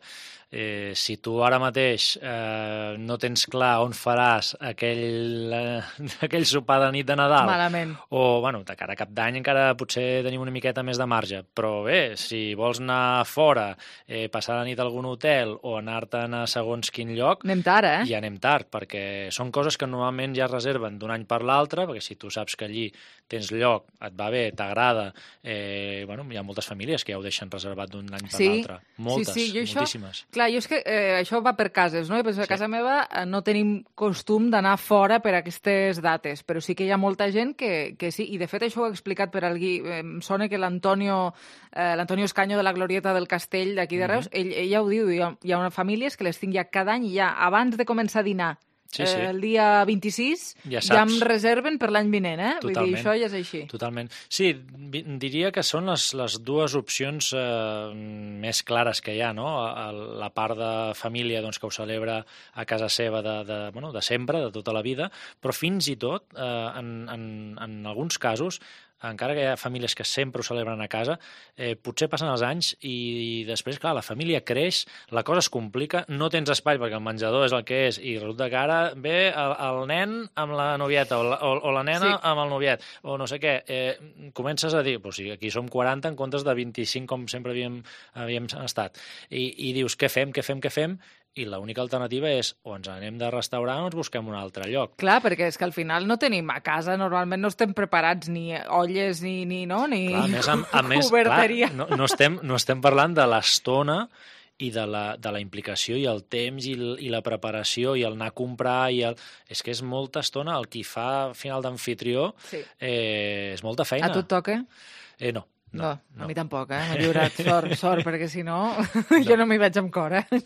eh, si tu ara mateix eh, no tens clar on faràs aquell, eh, aquell sopar de nit de Nadal, malament, o bueno, de cara a cap d'any encara potser tenim una miqueta més de marge, però bé, si vols anar fora, eh, passar la nit a algun hotel o anar-te'n a segons quin lloc, anem tard, eh? ja anem tard, perquè són coses que normalment ja es reserven d'un any per l'altre, perquè si tu saps que allí tens lloc, et va bé, t'agrada, eh, bueno, hi ha moltes famílies que ja ho deixen reservat d'un any per sí, l'altre. Moltes, sí, sí, jo moltíssimes. Això, clar, jo és que eh, això va per cases, no? I penso que a casa meva eh, no tenim costum d'anar fora per aquestes dates, però sí que hi ha molta gent que, que sí, i de fet això ho he explicat per algú, eh, em sona que l'Antonio eh, l'Antonio Escaño de la Glorieta del Castell d'aquí de Reus, mm-hmm. ell, ell ja ho diu, hi ha, hi ha una famílies que les tinc ja cada any, ja abans de començar a dinar, Sí, sí. Eh, el dia vint-i-sis ja, ja em reserven per l'any vinent, eh? Totalment. Vull dir, això ja és així. Totalment. Sí, diria que són les, les dues opcions eh, més clares que hi ha, no? La part de família doncs, que ho celebra a casa seva de, de, bueno, de sempre, de tota la vida, però fins i tot, eh, en, en, en alguns casos, encara que hi ha famílies que sempre ho celebren a casa, eh, potser passen els anys i després, clar, la família creix, la cosa es complica, no tens espai perquè el menjador és el que és i resulta que ara ve el, el nen amb la novieta o la, o, o la nena sí. amb el noviet o no sé què. Eh, comences a dir, pues, sí, aquí som quaranta en comptes de vint-i-cinc com sempre havíem, havíem estat. I, i dius, què fem, què fem, què fem? I l'única alternativa és o ens anem de restaurant o ens busquem un altre lloc. Clar, perquè és que al final no tenim a casa, normalment no estem preparats ni olles ni, ni, no, ni clar, a més, a, a més, oberteria. Clar, no, no, estem, no estem parlant de l'estona i de la, de la implicació i el temps i, el, i la preparació i el anar a comprar i el... És que és molta estona, el qui fa final d'anfitrió sí. eh, és molta feina. A tu et toca? Eh, no. No, no, no, a mi tampoc, eh? M'ha lliurat, sort, sort, perquè si no, no. jo no m'hi vaig amb cor, eh?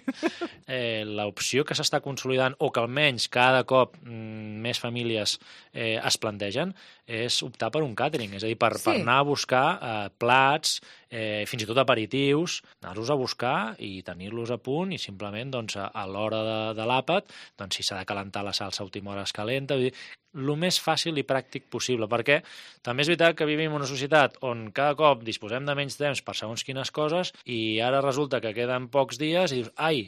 eh L'opció que s'està consolidant, o que almenys cada cop mm, més famílies eh, es plantegen, és optar per un càtering, és a dir, per, sí. per anar a buscar eh, plats, eh, fins i tot aperitius, anar-los a buscar i tenir-los a punt i simplement doncs, a, a l'hora de, de l'àpat, doncs, si s'ha de calentar la salsa a última hora es calenta, vull dir, el més fàcil i pràctic possible, perquè també és veritat que vivim en una societat on cada cop disposem de menys temps per segons quines coses i ara resulta que queden pocs dies i dius, ai,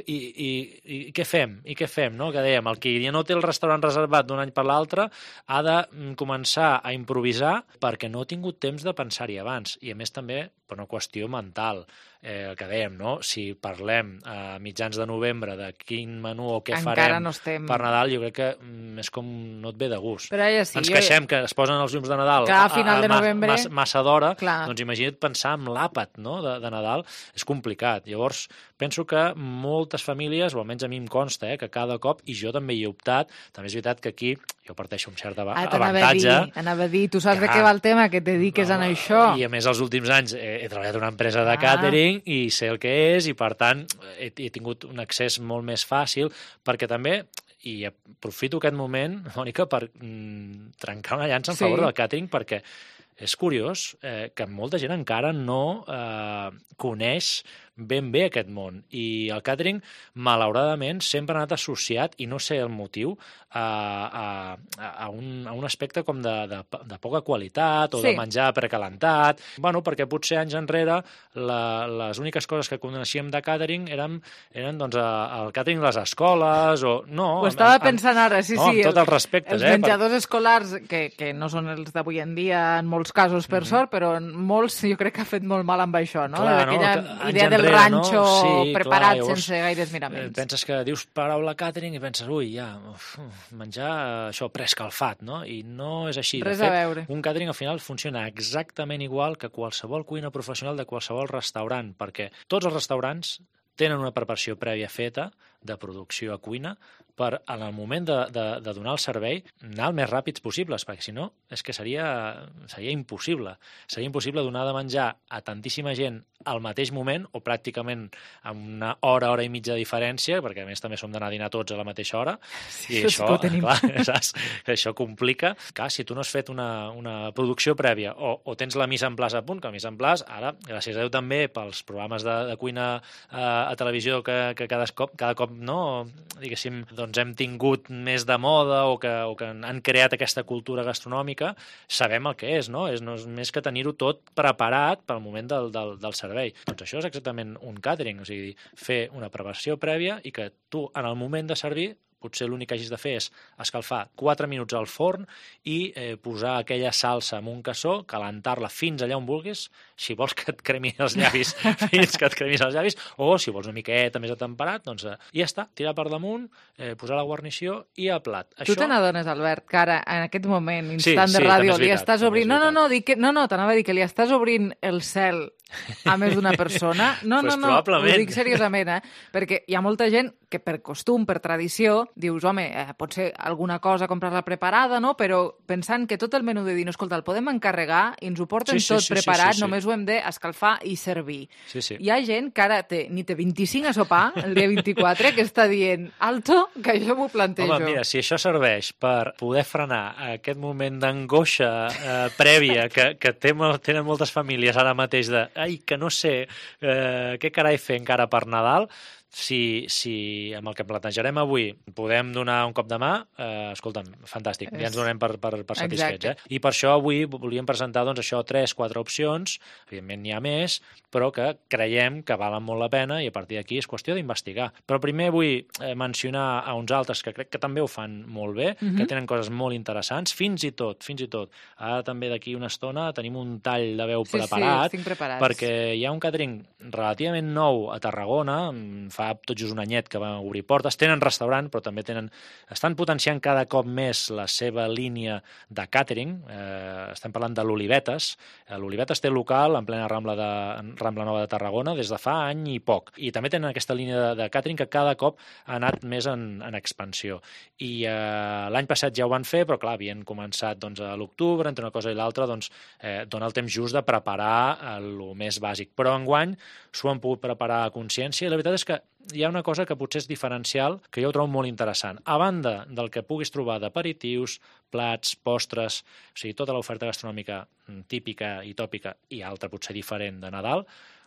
i, i, i què fem? I què fem, no? Que dèiem, el que ja no té el restaurant reservat d'un any per l'altre ha de començar a improvisar perquè no ha tingut temps de pensar-hi abans. I a més també per una qüestió mental. Eh, el que dèiem, no? Si parlem a mitjans de novembre de quin menú o què Encara farem no estem... per Nadal, jo crec que mm, és com no et ve de gust. Però ja sí, Ens jo... queixem que es posen els llums de Nadal Clar, a final de novembre... massa, massa d'hora, Clar. doncs imagina't pensar en l'àpat, no? de, de Nadal, és complicat. Llavors, penso que moltes famílies, o almenys a mi em consta, eh, que cada cop, i jo també hi he optat, també és veritat que aquí jo parteixo un cert ah, avantatge. A dir, anava a dir, tu saps Clar. de què va el tema, que et dediques no, a això. I a més, els últims anys he, he treballat en una empresa de ah. catering i sé el que és, i per tant he, he tingut un accés molt més fàcil, perquè també, i aprofito aquest moment, Mònica, per mm, trencar una llança en favor sí. del catering, perquè és curiós eh, que molta gent encara no eh, coneix ben bé aquest món. I el catering, malauradament, sempre ha anat associat, i no sé el motiu, a, a, a, un, a un aspecte com de, de, de poca qualitat o sí. de menjar precalentat. Bueno, perquè potser anys enrere la, les úniques coses que coneixíem de catering eren, eren doncs, el catering de les escoles o... No, Ho estava amb, pensant ara, sí, no, sí. Amb tots els respectes. Els eh, menjadors per... escolars, que, que no són els d'avui en dia en molts casos, per mm-hmm. sort, però en molts jo crec que ha fet molt mal amb això, no? Clar, Aquella no? idea del ranxo no? sí, preparat clar, llavors, sense gaires miraments. Penses que dius paraula catering i penses, ui, ja, uf, menjar això preescalfat, no? I no és així. Res de fet, a veure. Un catering al final funciona exactament igual que qualsevol cuina professional de qualsevol restaurant, perquè tots els restaurants tenen una preparació prèvia feta de producció a cuina per, en el moment de, de, de donar el servei, anar el més ràpids possibles, perquè si no, és que seria, seria impossible. Seria impossible donar de menjar a tantíssima gent al mateix moment, o pràcticament amb una hora, hora i mitja de diferència, perquè a més també som d'anar a dinar tots a la mateixa hora, sí, i això, clar, saps? Això complica. Clar, si tu no has fet una, una producció prèvia, o, o tens la mise en place a punt, que la mise en place, ara, gràcies a Déu també, pels programes de, de cuina eh, a televisió que, que cada cop, cada cop no, diguéssim, doncs hem tingut més de moda o que, o que han creat aquesta cultura gastronòmica, sabem el que és, no? És, no és més que tenir-ho tot preparat pel moment del, del, del servei. Doncs això és exactament un catering, o sigui, fer una preparació prèvia i que tu, en el moment de servir, potser l'únic que hagis de fer és escalfar quatre minuts al forn i eh, posar aquella salsa en un cassó, calentar-la fins allà on vulguis, si vols que et cremi els llavis, fins que et cremis els llavis, o si vols una miqueta més atemperat, doncs eh, ja està, tirar per damunt, eh, posar la guarnició i a plat. Tu Això... te n'adones, Albert, que ara, en aquest moment, instant sí, de sí, ràdio, veritat, li estàs obrint... No, no, no, dic que... no, no t'anava a dir que li estàs obrint el cel a més d'una persona. No, pues no, no, ho dic seriosament, eh? Perquè hi ha molta gent que per costum, per tradició, dius, home, eh, pot ser alguna cosa comprar-la preparada, no? Però pensant que tot el menú de dir, no, escolta, el podem encarregar i ens ho porten sí, sí, tot sí, preparat, sí, sí, sí. només ho hem d'escalfar i servir. Sí, sí. Hi ha gent que ara té, ni té vint-i-cinc a sopar, el dia vint-i-quatre, que està dient, alto, que això m'ho plantejo. Home, mira, si això serveix per poder frenar aquest moment d'angoixa eh, prèvia que, que tenen moltes famílies ara mateix de, ai, que no sé eh, què carai fer encara per Nadal, si, si amb el que plantejarem avui podem donar un cop de mà, eh, escolta'm, fantàstic, ja ens donem per, per, per satisfets. Eh? I per això avui volíem presentar doncs, això tres, quatre opcions, evidentment n'hi ha més, però que creiem que valen molt la pena i a partir d'aquí és qüestió d'investigar. Però primer vull eh, mencionar a uns altres que crec que també ho fan molt bé, mm-hmm. que tenen coses molt interessants, fins i tot, fins i tot. Ara també d'aquí una estona tenim un tall de veu sí, preparat, sí, perquè hi ha un catering relativament nou a Tarragona, fa tot just un anyet que van obrir portes, tenen restaurant, però també tenen, estan potenciant cada cop més la seva línia de catering, eh, estem parlant de l'Olivetes, l'Olivetes té local en plena Rambla, de, Rambla Nova de Tarragona des de fa any i poc, i també tenen aquesta línia de, de catering que cada cop ha anat més en, en expansió, i eh, l'any passat ja ho van fer, però clar, havien començat doncs, a l'octubre, entre una cosa i l'altra, doncs, eh, dona el temps just de preparar el més bàsic, però enguany s'ho han pogut preparar a consciència, i la veritat és que hi ha una cosa que potser és diferencial, que jo ho trobo molt interessant. A banda del que puguis trobar d'aperitius, plats, postres, o sigui, tota l'oferta gastronòmica típica i tòpica i altra potser diferent de Nadal,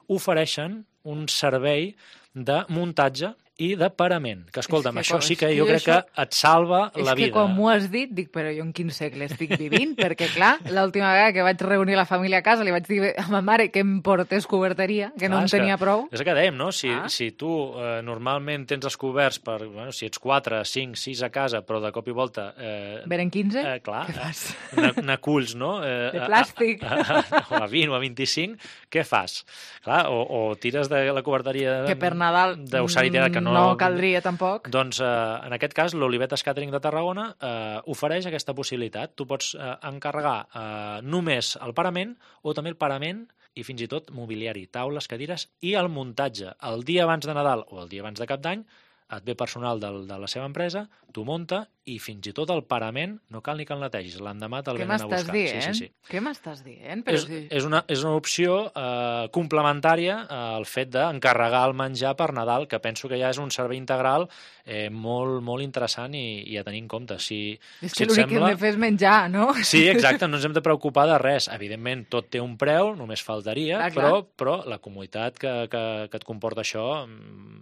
ofereixen un servei de muntatge i de parament. Que, escolta'm, que, això sí que jo jo crec això... que et salva la vida. És que com m'ho has dit, dic, però jo en quin segle estic vivint? Perquè, clar, l'última vegada que vaig reunir la família a casa li vaig dir a ma mare que em portés coberteria, que clar, no en tenia que, prou. És el que dèiem, no? Si, ah. si tu eh, normalment tens els coberts per, bueno, si ets quatre, cinc, sis a casa, però de cop i volta... Eh, Venen quinze? Eh, clar, què fas? Eh, n'aculls, no? Eh, de plàstic. A, a, a, o a vint o a vint-i-cinc, què fas? Clar, o, o tires de la coberteria... Que per Nadal que no, no caldria tampoc. Doncs, eh, en aquest cas, l'Olivetes Catering de Tarragona eh, ofereix aquesta possibilitat. Tu pots eh, encarregar eh, només el parament o també el parament i fins i tot mobiliari, taules, cadires i el muntatge. El dia abans de Nadal o el dia abans de Cap d'Any et ve personal del, de la seva empresa, t'ho munta i fins i tot el parament no cal ni que el netegis, l'endemà te'l venen a buscar. Què m'estàs dient? Sí, sí, sí. Què m'estàs dient? Però és, si... és, una, és una opció eh, complementària al fet d'encarregar el menjar per Nadal, que penso que ja és un servei integral eh, molt, molt interessant i, i a tenir en compte. Si, és si que l'únic sembla... que hem de fer és menjar, no? Sí, exacte, no ens hem de preocupar de res. Evidentment, tot té un preu, només faltaria, clar, però, clar. però la comoditat que, que, que et comporta això,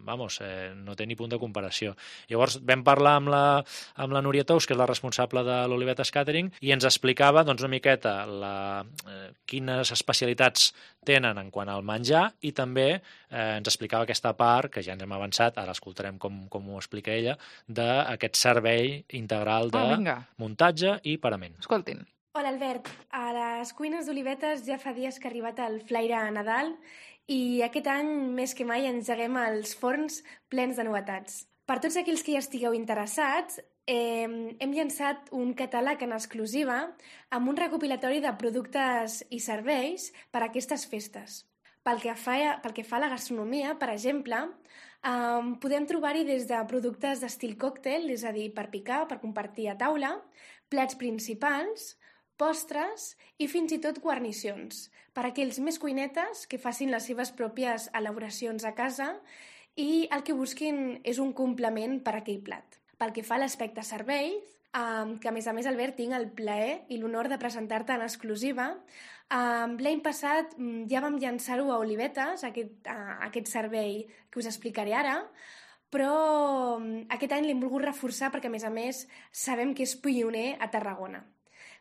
vamos, eh, no té ni punt de comparació. Llavors vam parlar amb la, amb la Núria Tous, que és la responsable de l'Olivetes Catering, i ens explicava doncs, una miqueta la, eh, quines especialitats tenen en quant al menjar i també eh, ens explicava aquesta part, que ja ens hem avançat, ara escoltarem com, com ho explica ella, d'aquest servei integral de oh, muntatge i parament. Escoltin. Hola Albert, a les cuines d'Olivetes ja fa dies que ha arribat el flaire a Nadal i aquest any més que mai engeguem els forns plens de novetats. Per tots aquells que hi estigueu interessats, eh, hem llançat un catàleg en exclusiva amb un recopilatori de productes i serveis per a aquestes festes. Pel que fa, pel que fa a la gastronomia, per exemple, eh, podem trobar-hi des de productes d'estil còctel, és a dir, per picar, per compartir a taula, plats principals, postres i fins i tot guarnicions, per a aquells més cuinetes que facin les seves pròpies elaboracions a casa i el que busquin és un complement per a aquell plat. Pel que fa a l'aspecte serveis, eh, que a més a més, Albert, tinc el plaer i l'honor de presentar-te en exclusiva, eh, l'any passat ja vam llançar-ho a Olivetes, aquest, eh, aquest servei que us explicaré ara, però aquest any l'hem volgut reforçar perquè, a més a més, sabem que és pioner a Tarragona.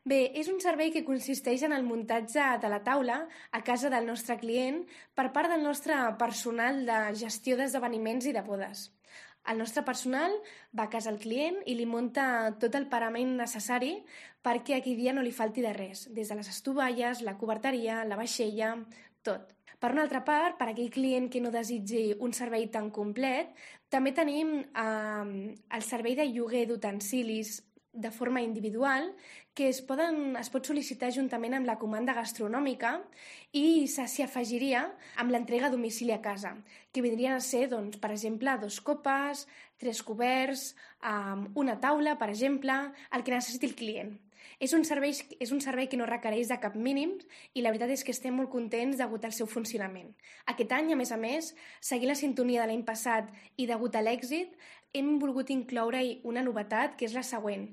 Bé, és un servei que consisteix en el muntatge de la taula a casa del nostre client per part del nostre personal de gestió d'esdeveniments i de bodes. El nostre personal va a casa al client i li munta tot el parament necessari perquè aquell dia no li falti de res, des de les estovalles, la coberteria, la vaixella, tot. Per una altra part, per aquell client que no desitgi un servei tan complet, també tenim eh, el servei de lloguer d'utensilis de forma individual que es, poden, es pot sol·licitar juntament amb la comanda gastronòmica i s'hi afegiria amb l'entrega a domicili a casa, que vindrien a ser, doncs, per exemple, dos copes, tres coberts, um, una taula, per exemple, el que necessiti el client. És un, servei, és un servei que no requereix de cap mínim i la veritat és que estem molt contents degut al seu funcionament. Aquest any, a més a més, seguint la sintonia de l'any passat i degut a l'èxit, hem volgut incloure-hi una novetat que és la següent.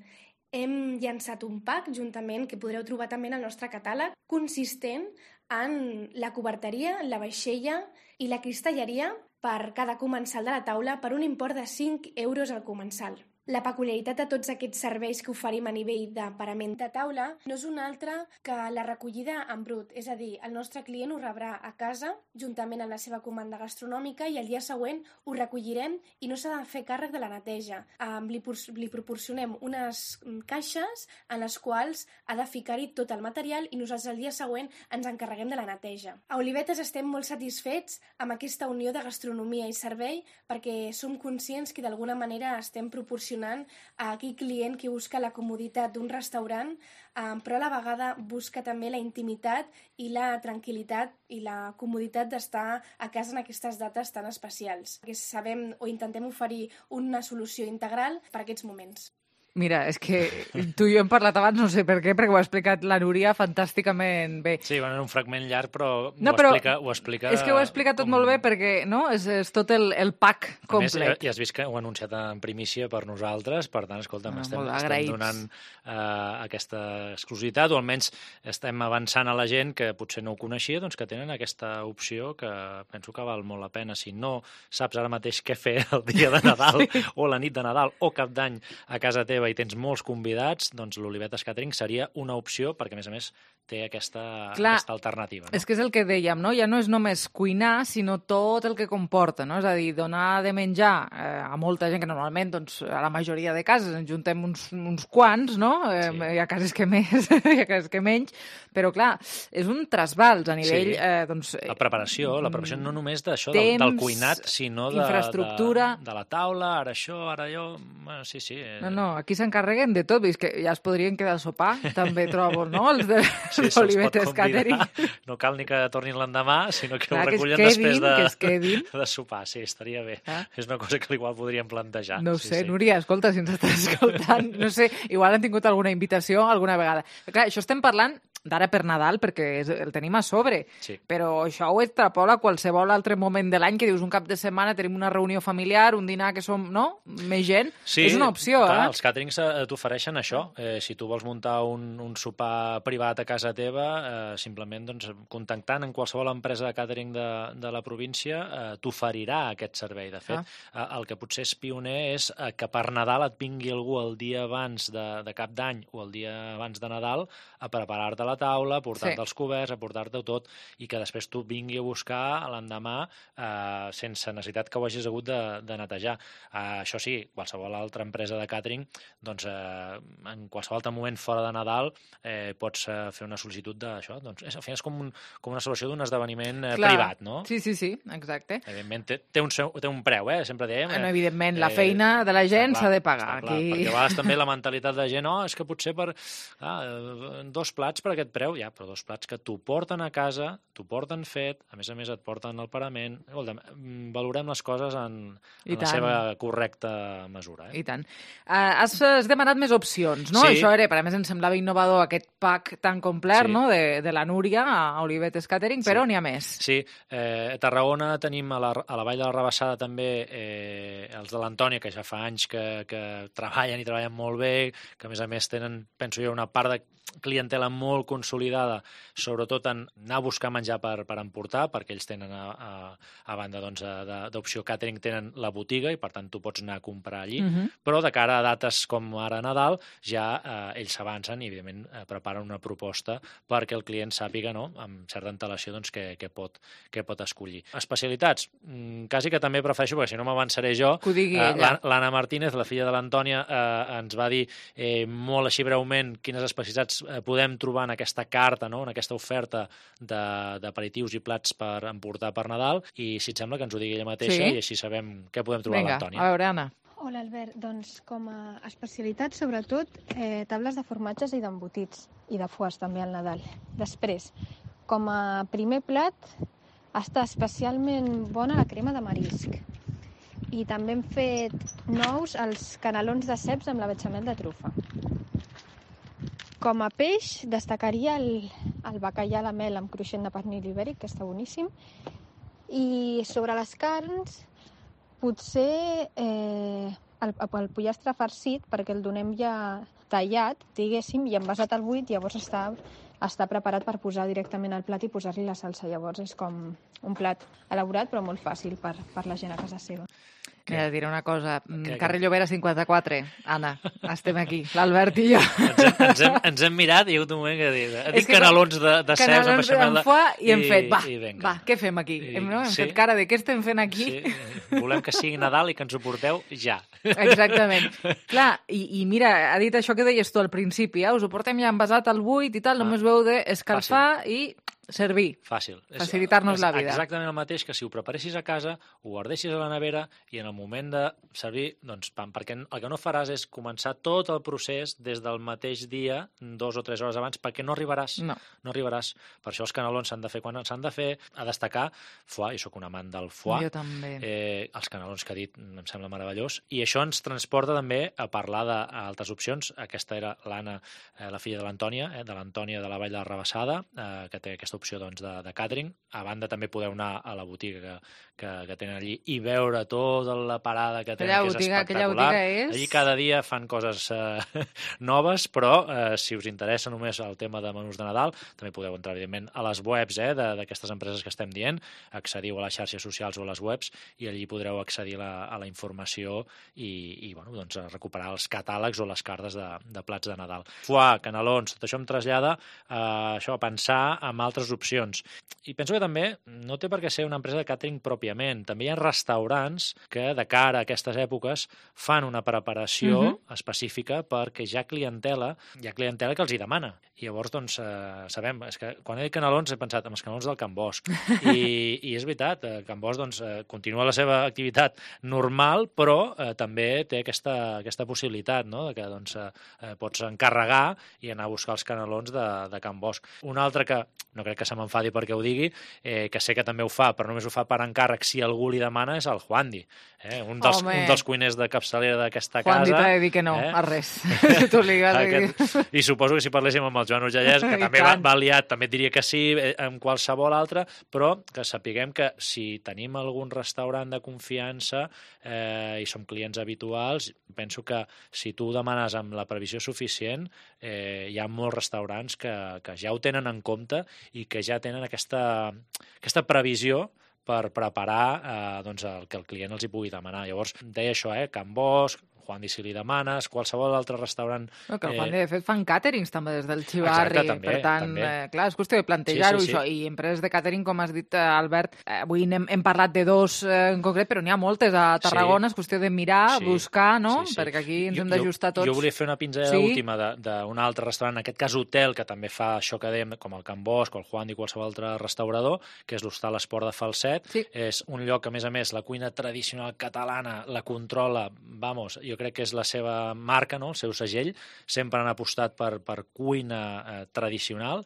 Hem llançat un pack juntament que podreu trobar també en el nostre catàleg consistent en la coberteria, la vaixella i la cristalleria per cada comensal de la taula per un import de cinc euros al comensal. La peculiaritat de tots aquests serveis que oferim a nivell de parament de taula no és una altra que la recollida en brut, és a dir, el nostre client ho rebrà a casa juntament amb la seva comanda gastronòmica i el dia següent ho recollirem i no s'ha de fer càrrec de la neteja. Um, li, li proporcionem unes caixes en les quals ha de ficar-hi tot el material i nosaltres el dia següent ens encarreguem de la neteja. A Olivetes estem molt satisfets amb aquesta unió de gastronomia i servei perquè som conscients que d'alguna manera estem proporcionant a aquell client que busca la comoditat d'un restaurant, eh, però a la vegada busca també la intimitat i la tranquil·litat i la comoditat d'estar a casa en aquestes dates tan especials. Que sabem o intentem oferir una solució integral per a aquests moments. Mira, és que tu i jo hem parlat abans, no sé per què, perquè ho ha explicat la Núria fantàsticament bé. Sí, bueno, era un fragment llarg, però, no, ho, però explica, ho explica... És que ho ha explicat tot com... molt bé perquè no? és, és tot el, el pack complet. A més, ja has vist que ho ha anunciat en primícia per nosaltres, per tant, escolta'm, no, estem, estem donant uh, aquesta exclusivitat, o almenys estem avançant a la gent que potser no ho coneixia, doncs que tenen aquesta opció que penso que val molt la pena. Si no saps ara mateix què fer el dia de Nadal sí. o la nit de Nadal o Cap d'Any a casa teva i tens molts convidats, doncs l'Olivetes Catering seria una opció perquè, a més a més, té aquesta, Clar, aquesta alternativa. No? És que és el que dèiem, no? Ja no és només cuinar, sinó tot el que comporta, no? És a dir, donar de menjar eh, a molta gent, que normalment, doncs, a la majoria de cases ens juntem uns, uns quants, no? Eh, sí. Hi ha cases que més, hi ha cases que menys, però, clar, és un trasbals a nivell... Sí. Eh, doncs, la preparació, la preparació no només d'això, del, del cuinat, sinó de, infraestructura... de, de la taula, ara això, ara allò... Bueno, sí, sí. No, no, aquí s'encarreguen de tot, és que ja es podrien quedar a sopar, també trobo, no? Els de sí, l'Olivetes Catering. No cal ni que tornin l'endemà, sinó que Clar, ho recullen que quedin, després de, de sopar. Sí, estaria bé. Ah? És una cosa que igual podríem plantejar. No ho sí, sé, sí. Núria, escolta, si ens estàs escoltant, no sé, igual han tingut alguna invitació alguna vegada. Però, clar, això estem parlant d'ara per Nadal, perquè el tenim a sobre, sí. però això ho extrapola a qualsevol altre moment de l'any que dius un cap de setmana tenim una reunió familiar, un dinar que som, no?, més gent. Sí, és una opció, clar, eh? Els càterings t'ofereixen això. Eh, si tu vols muntar un, un sopar privat a casa teva, eh, simplement doncs, contactant en qualsevol empresa de càtering de, de la província eh, t'oferirà aquest servei. De fet, ah. eh, el que potser és pioner és eh, que per Nadal et vingui algú el dia abans de, de Cap d'Any o el dia abans de Nadal a preparar-te la taula, a portar-te sí. els coberts, a portar-te tot, i que després tu vingui a buscar l'endemà eh, sense necessitat que ho hagis hagut de, de netejar. Eh, això sí, qualsevol altra empresa de càtering, doncs eh, en qualsevol altre moment fora de Nadal eh, pots eh, fer una sol·licitud d'això. Doncs, és, al final és com, un, com una celebració d'un esdeveniment eh, privat, no? Sí, sí, sí, exacte. Evidentment té, té, un, té un preu, eh? Sempre dèiem... Eh, no, evidentment, la feina de la gent s'ha de pagar. Clar, aquí. Perquè a vegades també la mentalitat de gent, oh, és que potser per ah, dos plats per aquest preu, ja, però dos plats que t'ho porten a casa, t'ho porten fet, a més a més et porten el parament. Escolta, valorem les coses en, en la seva correcta mesura. Eh? I tant. Uh, has, has demanat més opcions, no? Sí. Això era, per a més, em semblava innovador aquest pack tan complet, sí. no?, de, de la Núria a Olivetes Catering, però sí. n'hi ha més. Sí, eh, a Tarragona tenim a la, a la Vall de la Rabassada també eh, els de l'Antònia, que ja fa anys que, que treballen i treballen molt bé, que a més a més tenen, penso jo, una part de clientela molt consolidada, sobretot en anar a buscar menjar per, per emportar, perquè ells tenen, a, a, a banda doncs, d'opció catering, tenen la botiga i per tant tu pots anar a comprar allí, uh-huh. però de cara a dates com ara Nadal ja eh, ells s'avancen i evidentment eh, preparen una proposta perquè el client sàpiga, no?, amb certa antelació, doncs, què, què, pot, què pot escollir. Especialitats, mm, quasi que també prefereixo, perquè si no m'avançaré jo, que ho digui eh, ella. L'Anna Martínez, la filla de l'Antònia, eh, ens va dir eh, molt així breument quines especialitats podem trobar en aquesta carta, no?, en aquesta oferta d'aperitius i plats per emportar per Nadal, i si et sembla que ens ho digui ella mateixa, sí? I així sabem què podem trobar. Vinga, a l'Antònia. A veure, Anna. Hola, Albert. Doncs com a especialitat, sobretot, eh, tables de formatges i d'embotits, i de foies també al Nadal. Després, com a primer plat, està especialment bona la crema de marisc. I també hem fet nous els canelons de ceps amb la bechamel de trufa. Com a peix, destacaria el, el bacallà a la mel amb cruixent de pernil ibèric, que està boníssim. I sobre les carns, potser eh, el, el pollastre farcit, perquè el donem ja tallat, diguéssim, i envasat al buit, llavors està, està preparat per posar directament al plat i posar-li la salsa. Llavors és com un plat elaborat, però molt fàcil per, per la gent a casa seva. Mira, diré una cosa. Que, Carrer Llobera cinquanta-quatre. Anna, estem aquí. L'Albert i jo. Ens hem, ens, hem, ens hem mirat i hi ha un moment que ha dit, ha dit canelons de, de ceps amb bechamel de... I hem fet, va, i va, què fem aquí? I, hem, no? hem sí. fet cara de què estem fent aquí? Sí, volem que sigui Nadal i que ens ho porteu ja. Exactament. Clar, i, i mira, ha dit això que deies tu al principi, eh? Us ho portem ja envasat al buit i tal, ah, només ho heu d'escalfar i Servir. Fàcil. Facilitar-nos la vida. Exactament el mateix que si ho preparessis a casa, ho guardessis a la nevera i en el moment de servir, doncs pam, perquè el que no faràs és començar tot el procés des del mateix dia, dos o tres hores abans, perquè no arribaràs. No. No arribaràs. Per això els canelons s'han de fer quan s'han de fer. A destacar, foie, jo sóc un amant del foie. Jo també. Eh, els canelons que ha dit em sembla meravellós. I això ens transporta també a parlar d'altres opcions. Aquesta era l'Anna, eh, la filla de l'Antònia, eh, de l'Antònia de la Vall de la Rabassada, eh, que té aquesta opció doncs, de, de catering. A banda també podeu anar a la botiga que, que, que tenen allí i veure tota la parada que tenen, aquella que és botiga, espectacular. Aquella botiga és... Allí cada dia fan coses eh, noves, però eh, si us interessa només el tema de menús de Nadal, també podeu entrar, evidentment, a les webs eh, d'aquestes empreses que estem dient, accediu a les xarxes socials o a les webs i allí podreu accedir la, a la informació i, i bueno, doncs, a recuperar els catàlegs o les cartes de, de plats de Nadal. Foie, canelons, tot això em trasllada a, això, a pensar en altres opcions. I penso que també no té per què ser una empresa de càtering pròpiament. També hi ha restaurants que, de cara a aquestes èpoques, fan una preparació uh-huh. específica perquè hi ha clientela, hi ha clientela que els hi demana. I llavors, doncs, eh, sabem, és que quan he dit canelons he pensat en els canelons del Can Bosch. I, i és veritat, eh, Can Bosch doncs, eh, continua la seva activitat normal, però eh, també té aquesta, aquesta possibilitat, no?, de que doncs, eh, pots encarregar i anar a buscar els canelons de, de Can Bosch. Un altre que, no crec que se m'enfadi perquè ho digui, eh, que sé que també ho fa, però només ho fa per encàrrec si algú li demana, és el Juandi. Eh? Un, dels, un dels cuiners de capçalera d'aquesta casa. Juandi t'ha de dir que no, eh? a res. Tu li has de dir. I suposo que si parléssim amb el Joan Urgellès, que també va, va liat, també et diria que sí, amb qualsevol altre, però que sapiguem que si tenim algun restaurant de confiança eh, i som clients habituals, penso que si tu ho demanes amb la previsió suficient, eh, hi ha molts restaurants que, que ja ho tenen en compte i que ja tenen aquesta, aquesta previsió per preparar eh, doncs el que el client els hi pugui demanar. Llavors, deia això, eh, Can Bosch, Juandi, si li demanes, qualsevol altre restaurant... No, que el Juandi, de fet, fan càterings també des del Xivarri. Exacte, també, per tant, també. Eh, clar, és qüestió de plantejar-ho, sí, sí, sí. això. I empreses de càtering, com has dit, eh, Albert, eh, avui hem, hem parlat de dos eh, en concret, però n'hi ha moltes a Tarragona, sí. És qüestió de mirar, sí. buscar, no? Sí, sí. Perquè aquí ens jo, hem d'ajustar tots. Jo volia fer una pinzellada sí? última d'un altre restaurant, en aquest cas hotel, que també fa això que dèiem, com el Can Bosch, el Juandi, qualsevol altre restaurador, que és l'Hostal Esport de Falset. Sí. És un lloc que, a més a més, la cuina tradicional catalana la controla, vamos, jo crec que és la seva marca, no? El seu segell, sempre han apostat per, per cuina eh, tradicional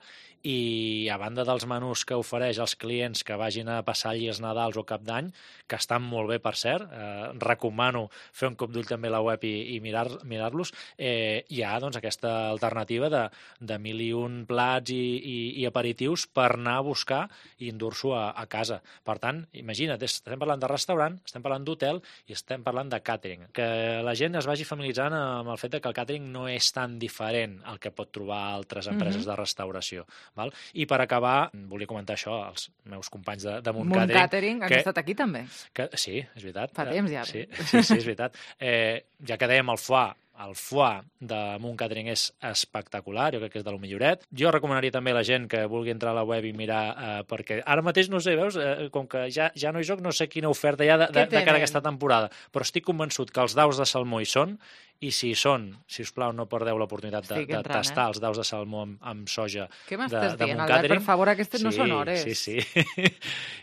i a banda dels menús que ofereix als clients que vagin a passar allí els Nadals o Cap d'Any, que estan molt bé, per cert, eh, recomano fer un cop d'ull també a la web i, i mirar-los, mirar eh, hi ha doncs, aquesta alternativa de, de mil i un plats i, i, i aperitius per anar a buscar i endur-s'ho a, a casa. Per tant, imagina't, estem parlant de restaurant, estem parlant d'hotel i estem parlant de càtering. Que la gent es vagi familiaritzant amb el fet que el càtering no és tan diferent al que pot trobar altres empreses mm-hmm. de restauració. Val? I per acabar, volia comentar això als meus companys de, de Munt Catering. Munt Catering, han estat aquí també. Que, sí, és veritat. Fa temps ja. Sí, sí, sí, és veritat. Eh, ja que dèiem el foie, el foie de Munt Catering és espectacular, jo crec que és de lo milloret. Jo recomanaria també a la gent que vulgui entrar a la web i mirar, eh, perquè ara mateix, no sé, veus, eh, com que ja, ja no hi soc, no sé quina oferta hi ha de, de, de cara a aquesta temporada, però estic convençut que els daus de salmó hi són, i si hi són, si us plau, no perdeu l'oportunitat de, de tastar eh? els daus de salmó amb, amb soja de, de Munt Catering. Què m'estàs dient, Albert? Per favor, aquestes sí, no són hores. Sí, sí.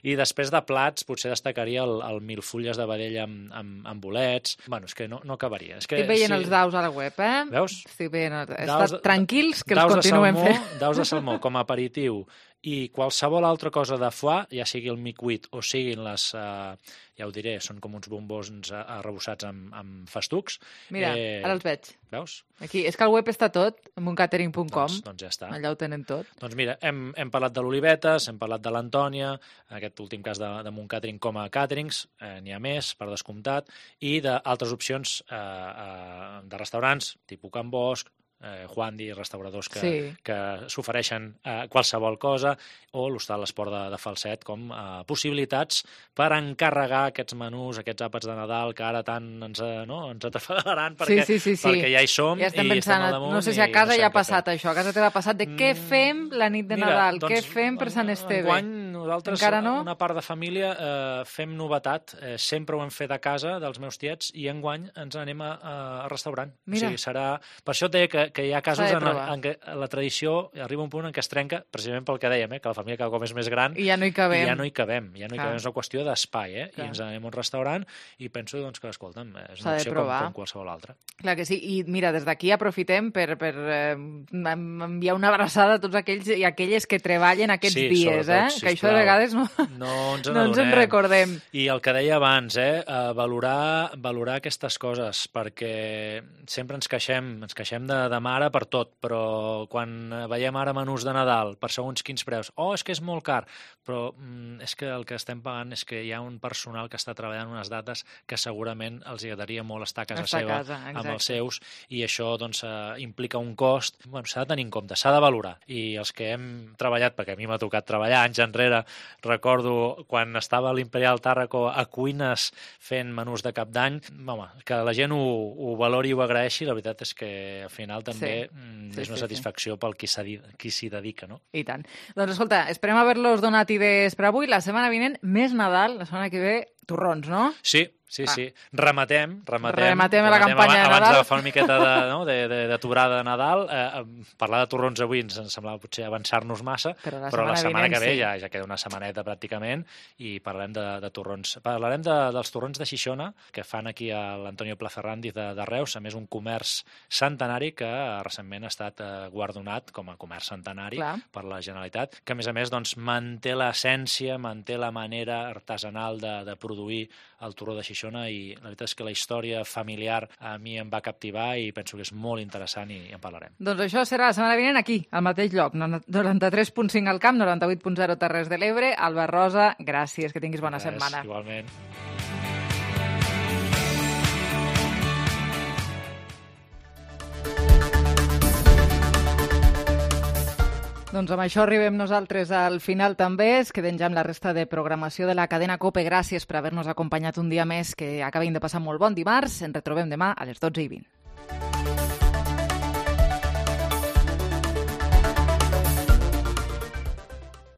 I després de plats, potser destacaria el, el milfulles de vedella amb, amb, amb bolets. Bueno, és que no, no acabaria. És que, Estic veient sí. els daus a la web, eh? Veus? Estic veient... Estat tranquils, que els continuem salmó, fent. Daus de salmó com a aperitiu i qualsevol altra cosa de foie, ja sigui el micuit o siguin les, eh, ja ho diré, són com uns bombons arrebossats amb, amb festucs. Mira, eh, ara els veig. Veus? Aquí, és que al web està tot, munt catering punt com. Doncs, doncs ja està. Allà ho tenen tot. Doncs mira, hem, hem parlat de l'Olivetes, hem parlat de l'Antònia, en aquest últim cas de, de Munt Catering com a càterings, eh, n'hi ha més, per descomptat, i d'altres opcions eh, eh, de restaurants, tipus Can Bosch, eh, Juandi, restauradors que, sí. que s'ofereixen eh, qualsevol cosa, o l'Hostal Esport de, de Falset, com eh, possibilitats per encarregar aquests menús, aquests àpats de Nadal, que ara tant ens, eh, no, ens atrafalaran perquè, sí, sí, sí, sí. perquè ja hi som ja estem i pensant, estem al damunt. No sé si a casa no ja ha passat això, a casa t'ha passat de què fem la nit de Mira, Nadal, doncs, què fem per Sant Esteve. Enguany nosaltres, Encara no? una part de família, eh, fem novetat. Eh, sempre ho hem fet a casa, dels meus tiets, i enguany ens anem a, a restaurant. Mira. O sigui, serà... Per això et deia que, que hi ha casos S'ha de en, provar. en què la tradició arriba a un punt en què es trenca, precisament pel que dèiem, eh, que la família cada cop és més gran I ja no hi cabem. i ja no hi cabem. Ja no hi Clar. cabem. És una qüestió d'espai, eh? Clar. I ens anem a un restaurant i penso doncs, que, escolta'm, és S'ha una de opció com, provar. com qualsevol altra. Clar que sí, i mira, des d'aquí aprofitem per, per eh, enviar una abraçada a tots aquells i aquelles que treballen aquests Sí, dies, sobretot, eh? sisplau. Que això de vegades no, No ens no ens en n'adonem. recordem. I el que deia abans, eh, eh, valorar, valorar aquestes coses, perquè sempre ens queixem, ens queixem de, de mare per tot, però quan veiem ara menús de Nadal per segons quins preus, oh, és que és molt car, però mm, és que el que estem pagant és que hi ha un personal que està treballant unes dates que segurament els agradaria molt estar a casa Estar a seva casa, amb exacte. els seus, i això doncs, eh, implica un cost. Bueno, s'ha de tenir en compte, s'ha de valorar. I els que hem treballat, perquè a mi m'ha tocat treballar anys enrere, recordo quan estava a l'Imperial Tàrraco a cuines fent menús de cap d'any, home, que la gent ho, ho valori i ho agraeixi, la veritat és que al final també Sí. mm, Sí, és una sí, sí. satisfacció pel qui s'hi qui s'hi dedica, no? I tant. Doncs escolta, esperem haver-los donat idees per avui. La setmana vinent, més Nadal, la setmana que ve, torrons, no? Sí, sí, Ah. sí. Rematem, rematem. Rematem la campanya de abans, Nadal. Abans d'agafar una miqueta de, no, de, de, d'aturada de Nadal, eh, parlar de torrons avui ens semblava potser avançar-nos massa, Però la però la setmana setmana vinent que ve sí. ja, ja queda una setmaneta pràcticament i parlarem de, de torrons. Parlarem de, dels torrons de Xixona, que fan aquí a l'Antonio Placerrandi de, de Reus, a més un comerç centenari que eh, recentment ha estat eh, guardonat com a comerç centenari Clar. per la Generalitat, que a més a més doncs, manté l'essència, manté la manera artesanal de, de produir el torró de Xixona, i la veritat és que la història familiar a mi em va captivar i penso que és molt interessant i en parlarem. Doncs això serà la setmana vinent aquí, al mateix lloc, noranta-tres punt cinc al Camp, noranta-vuit punt zero Terres de l'Ebre. Albert Rosa, gràcies, que tinguis bona Res, setmana. Igualment. Doncs amb això arribem nosaltres al final també. Es queden ja amb la resta de programació de la cadena COPE. Gràcies per haver-nos acompanyat un dia més. Que acabin de passar molt bon dimarts. Ens retrobem demà a les dotze i vint.